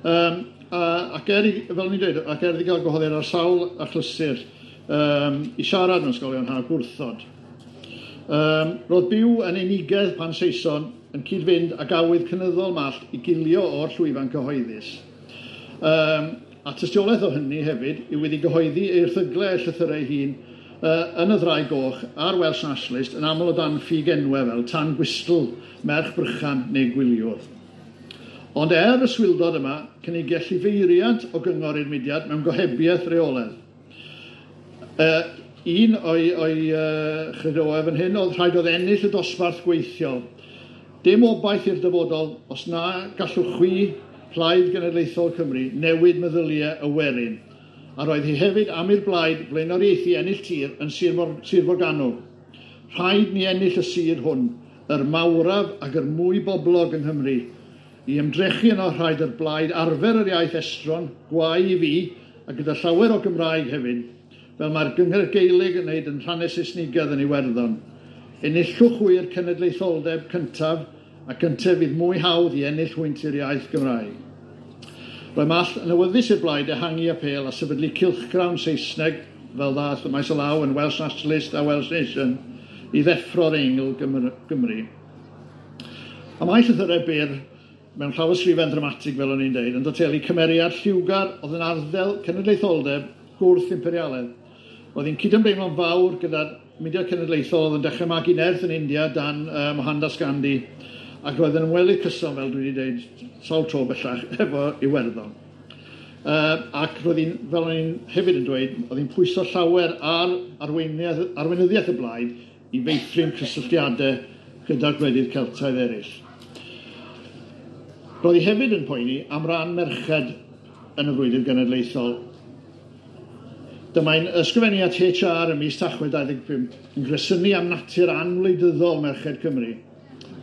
Um, a, ac er, fel ni'n dweud, ac er iddi gael gwahoddiad ar sawl achlysur um, i siarad mewn ysgolion haf gwrthod. Um, roedd byw yn unigedd pan Saeson yn cyd-fynd ag awydd cynyddol Mallt i gilio o'r llwyfan cyhoeddus. Um, a tystiolaeth o hynny hefyd yw iddi gyhoeddi ei erthyglau a'i llythyrau ei hun uh, yn y Ddraig Goch a'r Welsh Nationalist yn aml o dan ffug enwau fel Tan Gwystl, Merch Brychan neu Gwyliwr. Ond er y swildod yma, cynigiau llifeiriant o gyngor i'r mudiad mewn gohebiaeth reoledd. Uh, un o'i, o'i uh, chredoau fan hyn oedd rhaid oedd ennill y dosbarth gweithiol. Dim obaith i'r dyfodol os na gallwch chwi, Plaid Genedlaethol Cymru, newid meddyliau y werin. A roedd hi hefyd am i'r blaid blaenoriaethu ennill tir yn Sir, Mor Sir Forgannwg. Rhaid ni ennill y sir hwn, yr mawraf ac yr mwy boblog yng Nghymru. I ymdrechu yno rhaid yr blaid arfer yr iaith estron, gwae i fi, a gyda llawer o Gymraeg hefyd, fel mae'r Gyngor Gaelig yn wneud yn rhannau Saesnigaidd yn Iwerddon. Enillwch hwy'r cenedlaetholdeb cyntaf, a cyntaf fydd mwy hawdd i ennill hwynt i'r iaith Gymraeg. Roedd Mallt yn awyddus i'r blaid ehangu apêl a sefydlu cylchgrawn Saesneg, fel ddaeth y maes o law yn Welsh Nationalist a Welsh Nation, i ddeffro'r Eingl Gymru. A mae llythyrau byr, mewn llawysgrifen ddramatig, fel o'n i'n deud, yn datelu cymeriad lliwgar oedd yn arddel cenedlaetholdeb gwrth imperialedd. Oedd hi'n cydymdeimlo'n fawr gyda'r mudiad cenedlaethol oedd yn dechrau magu nerth yn India dan uh, Mohandas Gandhi, ac roedd yn ymwelydd cyson, fel dwi wedi dweud, sawl tro bellach, efo Iwerddon. Uh, ac roedd hi'n, fel o'n i'n hefyd yn dweud, oedd hi'n pwyso llawer ar arweinyddiaeth y blaid i feithrin cysylltiadau gyda'r gwledydd Celtaidd eraill. Roedd hi hefyd yn poeni am ran merched yn y frwydr genedlaethol. Dyma'n ysgrifennu at H R ym mis Tachwedd dau ddeg pump yn gresynu am natur anwleidyddol merched Cymru.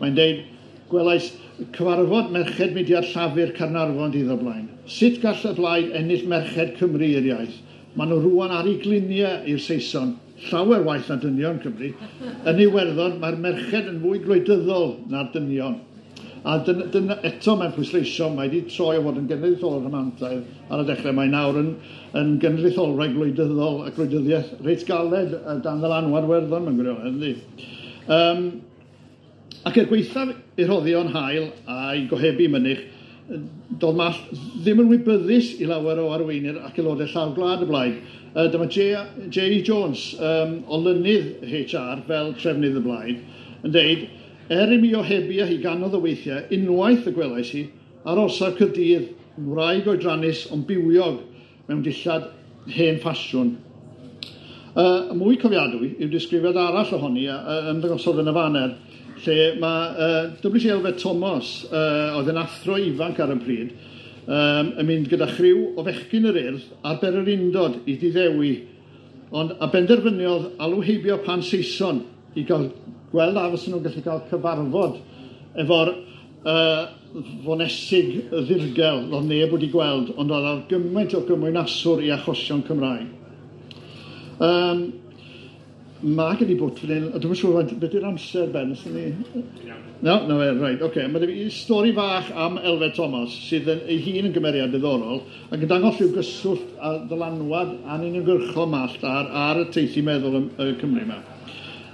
Mae'n deud, gwelais cyfarfod merched mudiad Llafur Caernarfon dydd o'r blaen. Sut gall y blaid ennill merched Cymru i'r iaith? Maen nhw rŵan ar eu gliniau i'r Saeson, llawer waeth na dynion Cymru. Yn Iwerddon, mae'r merched yn fwy gwleidyddol na'r dynion. A dyna, dyna, eto mae'n pwysleisio, mae wedi troi o fod yn genedlaetholwr rhamantaidd ar y dechrau. Mae nawr yn, yn genedlaetholwraig gwleidyddol a gwleidyddiaeth reit galed dan ddylanwad Werddon mewn gwirionedd, yndi? Um, ac er gwaethaf ei rhoddion hael a'i gohebu mynych, doedd Mallt ddim yn wybyddus i lawer o arweinwyr ac aelodau llawr gwlad y blaid. Uh, dyma J E Jones, um, olynydd H R fel trefnydd y blaid, yn deud, er i mi ohebu â hi ganodd o weithiau, unwaith y gwelais hi, ar orsaf Caerdydd, yn wraig oedrannus ond bywiog mewn dillad hen ffasiwn. Uh, mwy cofiadwy yw disgrifiad arall ohoni uh, ymddangosodd yn y faner, lle mae uh, W C Elfed Thomas, uh, oedd yn athro ifanc ar y pryd, um, yn mynd gyda chriw o fechgyn yr Urdd ar bererindod i Diddewi, ond a benderfyniodd alw heibio pan Saeson i gael gweld a fysen nhw'n gallu cael cyfarfod efo'r uh, fonesig ddirgel oedd neb wedi gweld, ond oedd ar gymaint o gymwynaswr i achosion Cymraeg. Um, mae gen i bwt fan hyn, dwi'm yn siŵr beth yw'r amser, Ben, os ni... No, no, right, oce. Okay. Mae gen i stori fach am Elfed Thomas, sydd yn, ei hun yn gymeriad diddorol, ac yn dangos rhyw gyswllt a ddylanwad anuniongyrchol Mallt ar, ar y teithi meddwl y, y Cymru yma.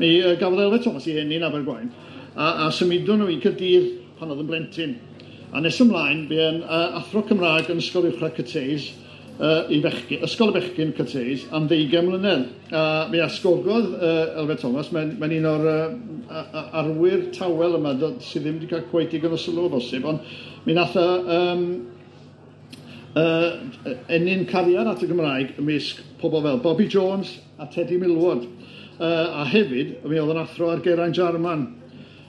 Mi gafodd Elfed Thomas ei eni yn Abergwaun, a, a symudon nhw i Caerdydd pan oedd yn blentyn. A nes ymlaen, bu'n uh, athro Cymraeg yn Ysgol Uwchradd Cathays, uh, i fechgyn, Ysgol y Bechgyn Cathays, am ddeugain mlynedd. A mi asgogodd uh, Elfed Thomas, mae'n mae un o'r uh, arwyr tawel yma sydd ddim wedi cael cweit digon o sylw o bosib, ond mi nath o um, uh, ennyn cariad at y Gymraeg ymysg pobl fel Bobby Jones a Teddy Millward. Uh, a hefyd, mi oedd yn athro ar Geraint Jarman.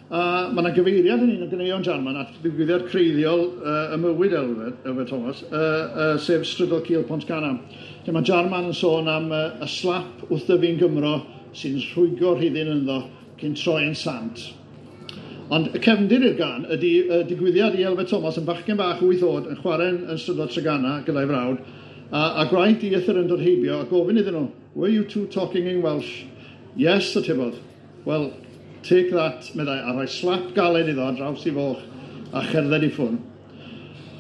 Uh, mae yna gyfeiriad yn un o ganeuon Jarman at ddigwyddiad creiddiol uh, y mywyd Elfed, Elfed Thomas, uh, uh, sef Strydoedd Cul Pontcanna. Lle mae Jarman yn sôn am uh, y slap wrth dyfu'n Gymro sy'n rhwygo rhithyn ynddo cyn troi yn sant. Ond y cefndir i'r gan ydy uh, digwyddiad i Elfed Thomas yn bachgen bach wyth oed yn chwarae yn Strydoedd Treganna gyda'i frawd, a, a gwraig dieithr yn dod heibio a gofyn iddyn nhw, "Were you two talking in Welsh?" "Yes," atebodd. "Well, take that," meddai, a rhoi slap galed iddo ar draws i foch a cherdded i ffwrdd.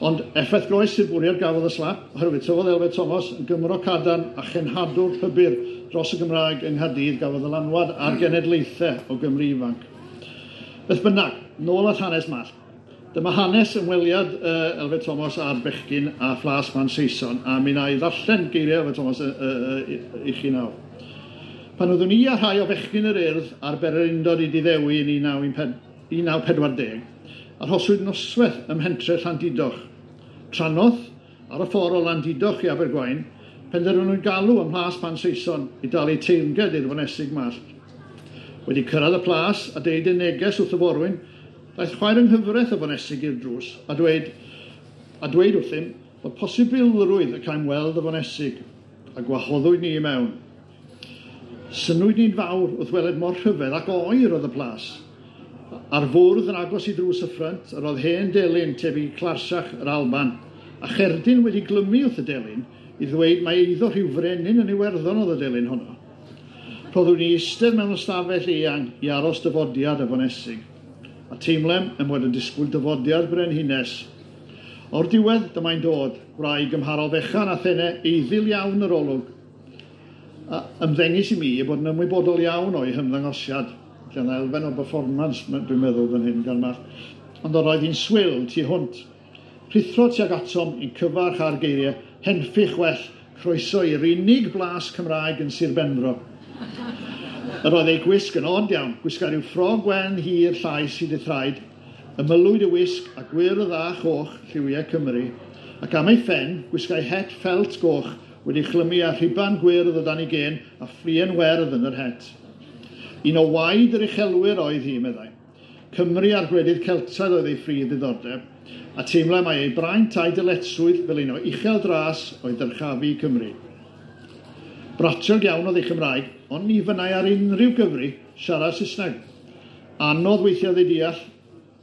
Ond effaith groes i'r bwriad gafodd y slap, oherwydd tyfodd Elfed Thomas yn Gymro cadarn a chenhadwr pybyr dros y Gymraeg yng Nghaerdydd gafodd ddylanwad ar genedlaethau o Gymru ifanc. Beth bynnag, nôl at hanes Mallt. Dyma hanes ymweliad uh, Elfed Thomas a'r bechgyn a Phlas Man Saeson, a mi wna i ddarllen geiriau Elfed Thomas uh, uh, i chi nawr. Pan oeddwn i a rhai o fechgyn yr Urdd ar bererindod i Diddewi yn un naw pedwar deg, arhoswyd noswaith ym mhentre Llandudoch. Trannoth, ar y ffordd o Landudoch i Abergwaun, penderfynwyd galw ym Mhlas Pan Saeson i dalu teyrnged i'r fonesig Mallt. Wedi cyrraedd y plas a deud ei neges wrth y forwyn, daeth chwaer yng nghyfraith y fonesig i'r drws a dweud, a dweud wrthym bod posibilrwydd y caem weld y fonesig, a gwahoddwyd ni i mewn. Synnwyd ni'n fawr wrth weled mor rhyfedd ac oer oedd y plas. Ar fwrdd yn agos i drws y ffrynt, yr oedd hen delyn tebyg i clarsach yr Alban, a cherdyn wedi glymu wrth y delyn i ddweud mai eiddo rhyw frenin yn Iwerddon oedd y delyn honno. Rhoddwn ni eistedd mewn ystafell eang i aros dyfodiad y fonesig, a teimlem yn bod yn disgwyl dyfodiad brenhines. O'r diwedd dyma'n dod, gwraig gymharol fechan a thene eiddil iawn yr olwg. A ymddengys i mi ei bod yn ymwybodol iawn o'i hymddangosiad. Lle yna elfen o performance, dwi'n meddwl fan hyn gan Mallt. Ond oedd hi'n swil tu hwnt. Rhuthro tuag atom i'n cyfarch ar geiriau, henffych well, croeso i'r unig blas Cymraeg yn Sir Benfro. Yr oedd ei gwisg yn od iawn, gwisga rhyw ffrog wen hir llaes hyd ei thraed, ymylwyd y wisg a gwyrdd a choch lliwiau Cymru, Ac am ei phen, gwisgai het ffelt goch wedi chlymu â rhuban gwyrdd o dan ei gen a fflien werdd yn yr het. Un o waed yr uchelwyr oedd hi, meddai. Cymru a'r gwledydd Celtaidd oedd ei phrif ddiddordeb, a teimlai mai ei braint a'i dyletswydd fel un o uchel dras oedd dyrchafu Cymru. Bratiog iawn oedd ei Chymraeg, ond ni fynnai ar unrhyw gyfri siarad Saesneg. Anodd weithiau ei deall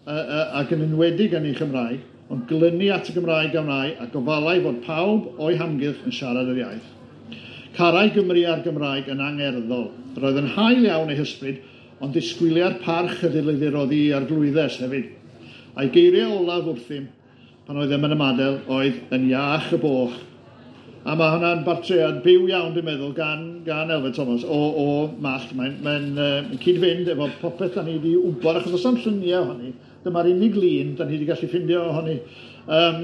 ac yn enwedig yn ei Chymraeg, ond glynu at y Gymraeg a wnâi a gofalai fod pawb o'i hamgylch yn siarad yr iaith. Carai Gymru a'r Gymraeg yn angerddol. Roedd yn hael iawn ei hysbryd, ond disgwyliai'r parch y ddylid ei roddi i arglwyddes hefyd. A'i geiriau olaf wrthym, pan oeddem yn ymadael, oedd yn iach y boch. A mae hwnna'n bartread byw iawn, dwi'n meddwl, gan, gan Elfed Thomas o, o Mallt. Mae'n mae uh, cyd-fynd efo popeth da ni wedi wybod, achos oes am lluniau ohoni. Dyma'r unig lun da ni wedi gallu ffindio ohoni. Um,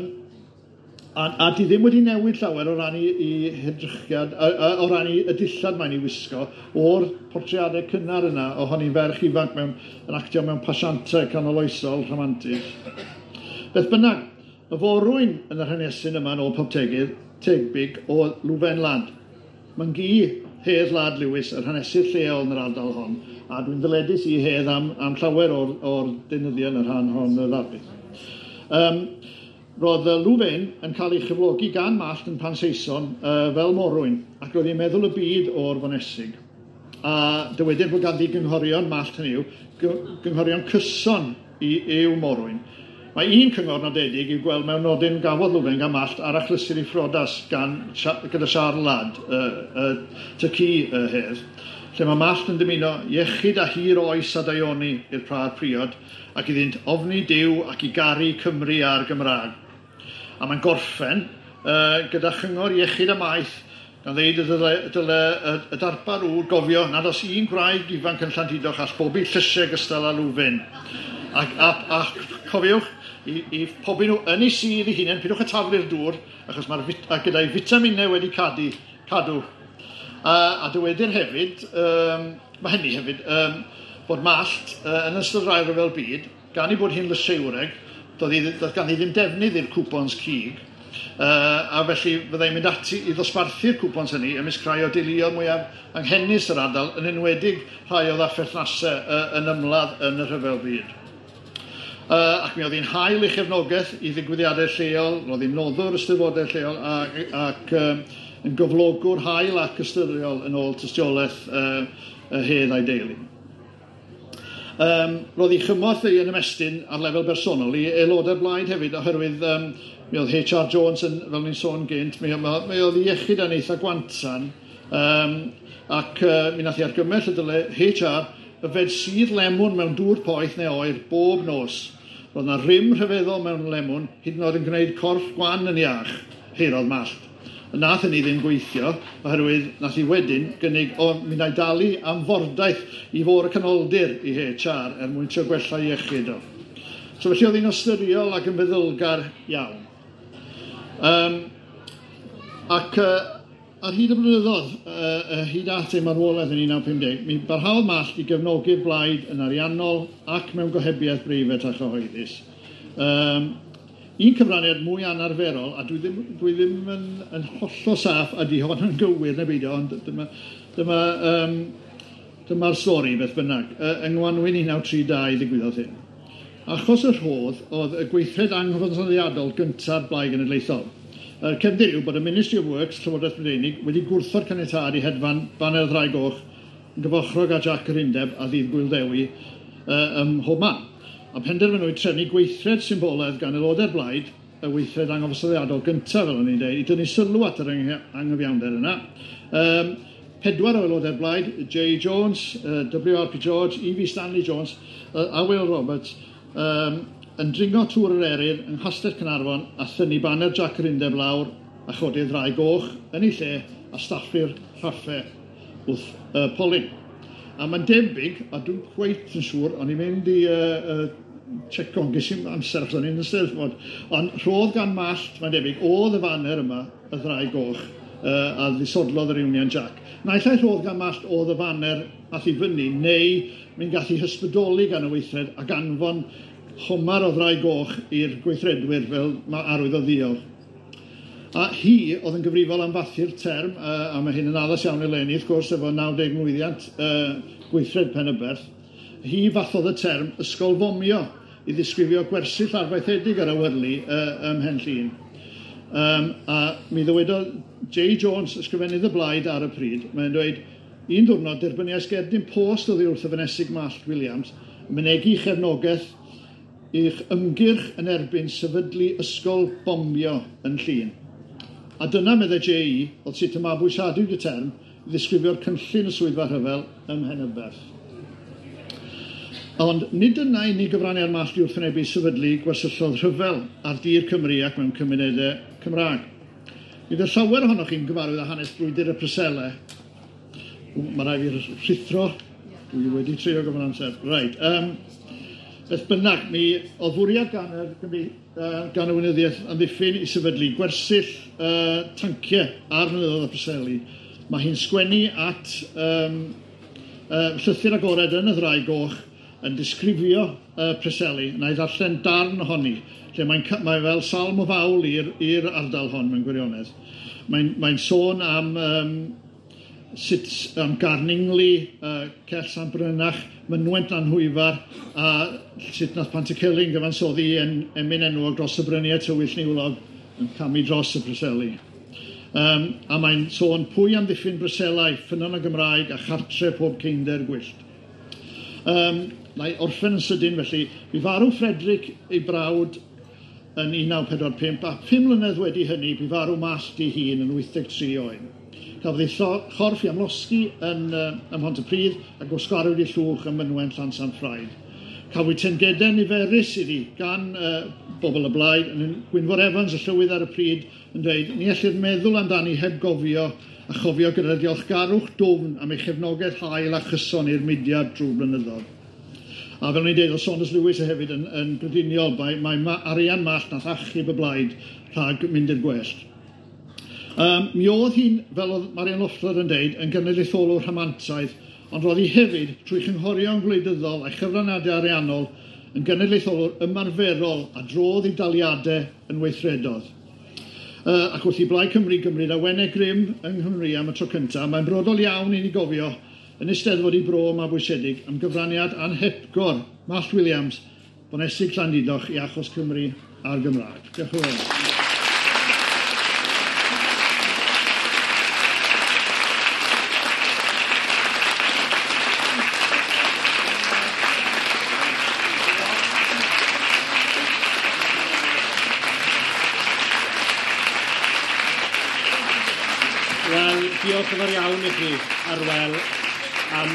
a, a di ddim wedi newid llawer o ran i, i hedrychiad, a, a, o ran i y dillad mae'n ei wisgo, o'r portreadau cynnar yna ohoni ferch ifanc mewn, yn actio mewn pasiantau canoloesol rhamantig. Beth bynnag, y forwyn yn yr hanesyn yma yn ôl pob tegydd, tebyg o Lwfen Lad. Mae'n gi Hedd Lad Lewis, yr hanesydd lleol yn yr ardal hon, a dwi'n ddyledus i Hedd am, am llawer o'r, o'r deunyddiau yn y rhan hon y ddarlith. Um, roedd Lwfen yn cael ei chyflogi gan Mallt yn Pan Saeson uh, fel morwyn, ac roedd hi'n meddwl y byd o'r fonesig. A dywedir bod ganddi gynghorion Mallt hynny yw, gynghorion cyson i, i'w morwyn. Mae un cyngor nodedig i'w gweld mewn nodyn gafodd Lwfen gan Mallt ar achlysur ei phrodas gan, gyda Siarl Ladd, y, y, ty y Hedd, lle mae Mallt yn dymuno iechyd a hir oes a daioni i'r prad priod ac iddynt ofni Duw ac i garu Cymru a'r Gymraeg. A mae'n gorffen uh, gyda chyngor iechyd a maeth gan ddeud y dyle, dyle y, y darpar ŵr gofio nad oes un gwraig ifanc yn Llandudoch all bobi llysiau gystal â Lwfen. Ac, a, a cofiwch, i, i pobi nhw yn ei sudd ei hunain, pidwch y taflu'r dŵr, achos mae'r vit, a gyda'i fitaminau wedi cadu, cadw. A, a dywedir hefyd, um, mae hynny hefyd, um, bod Mallt uh, yn ystod yr Ail Ryfel Byd, gan ei bod hi'n lysieuwreg, doedd, hi, doedd ganddi ddim defnydd i'r cwpons cig, uh, a felly fyddai'n mynd ati i ddosbarthu'r cwpons hynny ymysg rhai o deuluoedd mwyaf anghenus yr ardal, yn enwedig rhai oedd â pherthnasau uh, yn ymladd yn y Rhyfel Byd. Uh, ac mi oedd hi'n hael ei chefnogaeth i ddigwyddiadau lleol, roedd hi'n noddwr ysteddfodau lleol ac, ac um, yn gyflogwr hael ac ystyriol yn ôl tystiolaeth uh, y Hedd a'i deulu. Um, roedd ei chymorth ei yn ymestyn ar lefel bersonol i aelodau'r blaid hefyd, oherwydd um, mi oedd H R Jones, yn, fel ni'n sôn gynt, mi, mi oedd ei iechyd yn eitha gwantan, um, ac uh, mi nath hi argymell y dyle H R yfed sudd lemwn mewn dŵr poeth neu oer bob nos. Roedd yna rym rhyfeddol mewn lemwn, hyd yn oed yn gwneud corff gwan yn iach, heirodd Mallt. Nath hynny ddim gweithio, oherwydd nath hi wedyn gynnig, o, mi wna i dalu am fordaith i fôr y canoldir i H R er mwyn trio gwella iechyd o. So felly oedd hi'n ystyriol ac yn feddylgar iawn. Um, ac uh, ar hyd y blynyddoedd, uh, hyd at ei marwolaeth yn un naw pum deg, mi barhaodd Mallt i gefnogi'r blaid yn ariannol ac mewn gohebiaeth breifat a chyhoeddus. Um, un cyfraniad mwy anarferol, a dwi ddim, dwi ddim yn, yn hollol saff a di hon yn gywir neu beidio, ond dyma, dyma, um, dyma'r stori beth bynnag. Uh, yng Ngwanwyn un naw tri dau ddigwyddodd hyn. Achos y rhodd oedd y gweithred anghyfansoddiadol gyntaf Blaid Genedlaethol. Y cefndir yw bod y Ministry of Works, Llywodraeth Brydeinig, wedi gwrthod caniatâd i hedfan baner Ddraig Goch yn gyfochrog â Jac yr Undeb a Ddydd Gŵyl Ddewi uh, ym mhob man. A penderfynwyd trefnu gweithred symbolaidd gan aelodau'r blaid, y weithred anghyfansoddiadol gyntaf, fel o'n i'n dweud, i dynnu sylw at yr anghyfiawnder yna. Um, pedwar o aelodau'r blaid, J Jones, uh, W R P George, E V Stanley Jones, uh, a Will Roberts, um, yn dringo tŵr yr Eryr yng Nghastell Caernarfon a thynnu baner Jac yr Undeb lawr a chodi'r Ddraig Goch yn ei lle a staffu'r rhaffau wrth uh, polyn. A mae'n debyg, a dwi'n cweit yn siŵr, o'n i'n mynd i uh, uh, checo, ges i'm amser achos o'n i'n Eisteddfod, ond rhodd gan Mallt, mae'n debyg, oedd y faner yma, y Ddraig Goch, uh, a ddisodlodd yr Union Jack. Naill ai rhodd gan Mallt oedd y faner ath i fyny, neu mi'n gallu hysbrydoli gan y weithred ac anfon homar o Ddraig Goch i'r gweithredwyr fel mae arwydd o ddiolch. A hi oedd yn gyfrifol am fathu'r term, uh, a mae hyn yn addas iawn eleni, wrth gwrs, efo naw deg mlwyddiant uh, gweithred Penyberth. Hi fathodd y term ysgol fomio i ddisgrifio gwersyll arfaethedig yr awyrlu uh, ym Mhen Llŷn. Um, a mi ddywedodd J Jones, ysgrifennydd y blaid ar y pryd, mae'n dweud, un diwrnod derbyniais gerdyn post oddi wrth y Fonesig Mallt Williams, yn mynegi chefnogaeth i'ch ymgyrch yn erbyn sefydlu ysgol bombio yn Llŷn. A dyna, meddai J E, oedd sut y mabwysiadwyd y term i ddisgrifio'r cynllun y swyddfa rhyfel ym Mhenyberth. Ond nid dyna unig gyfraniad Mallt i wrthwynebu sefydlu gwersylloedd rhyfel ar dir Cymru ac mewn cymunedau Cymraeg. Mi fydd llawer ohonoch chi'n gyfarwydd â hanes brwydr y Preselau. Mae rhaid fi rhuthro. Dwi wedi trio gyfer amser. Reit. Um, beth bynnag, mi oedd fwriad gan y, uh, gan y Weinyddiaeth Amddiffyn i sefydlu gwersyll uh, tanciau ar mynyddoedd y Preseli. Mae hi'n sgwennu at um, uh, llythyr agored yn y Ddraig Goch yn disgrifio uh, Preseli. Na i ddarllen darn ohoni, lle mae'n mae fel salm o fawl i'r ardal hon mewn gwirionedd. Mae'n mae sôn am, um, sut, am Garningli, uh, Cell Sant Brynach, Mynwent Lanhwyfar, a sut nath Pantycelyn gyfansoddi en, emyn enwog dros y bryniau tywyll niwlog yn camu dros y Preseli. Um, a mae'n sôn pwy amddiffyn Breselau, ffynnon y Gymraeg a chartre pob ceinder gwyllt. Um, Na i orffen yn sydyn felly, bu farw Frederick ei brawd yn un naw pedwar pump, a pum mlynedd wedi hynny bu farw Mallt ei hun yn wyth deg tri oed. Cafodd ei chorff i amlosgi yn, uh, ym Mhontypridd a gwasgarwyd ei llwch ym Mynwent Llansanffraid. Cafwyd tengedau niferus iddi gan uh, bobl y blaid, yn Gwynfor Evans, y llywydd ar y pryd, yn dweud, ni ellir meddwl amdani heb gofio a chofio gyda diolchgarwch dwfn am ei chefnogaeth hael a chyson i'r mudiad drwy blynyddoedd. A fel o'n i'n dweud, oedd Saunders Lewis hefyd yn, yn grediniol, mae, mae ma, arian Mallt nath achub y blaid rhag mynd i'r gwellt. Um, mi oedd hi'n, fel oedd Marian Loeffler yn dweud, yn genedlaetholwr rhamantaidd, ond roedd hi hefyd, trwy chynghorion gwleidyddol a'i chyfraniadau ariannol, yn genedlaetholwr ymarferol a drodd ei daliadau yn weithredodd. Uh, ac wrth i Blaid Cymru gymryd awenau grym yng Nghymru am y tro cyntaf, mae'n brodol iawn i ni gofio yn Eisteddfod i Bro Mabwysiedig am gyfraniad anhepgor Mallt Williams, Fonesig Llandudoch i achos Cymru a'r Gymraeg. Diolch yn fawr. Wel, diolch yn fawr iawn i chi, Arwel, am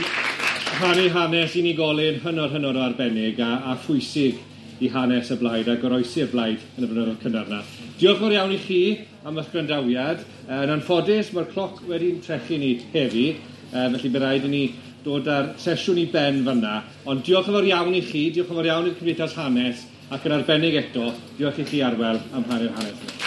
rhannu hanes unigolyn hynod hynod o arbennig a, a phwysig i hanes y blaid a goroesi'r blaid yn y blynyddoedd cynnar yna. Diolch yn fawr iawn i chi am eich gwrandawiad. Yn anffodus, mae'r cloc wedi'n trechu ni heddi, felly bydd rhaid i ni dod â'r sesiwn i ben fan'na. Ond diolch yn fawr iawn i chi, diolch yn fawr iawn i'r Cymdeithas Hanes, ac yn arbennig eto, diolch i chi, Arwel, am rhannu'r hanes yna.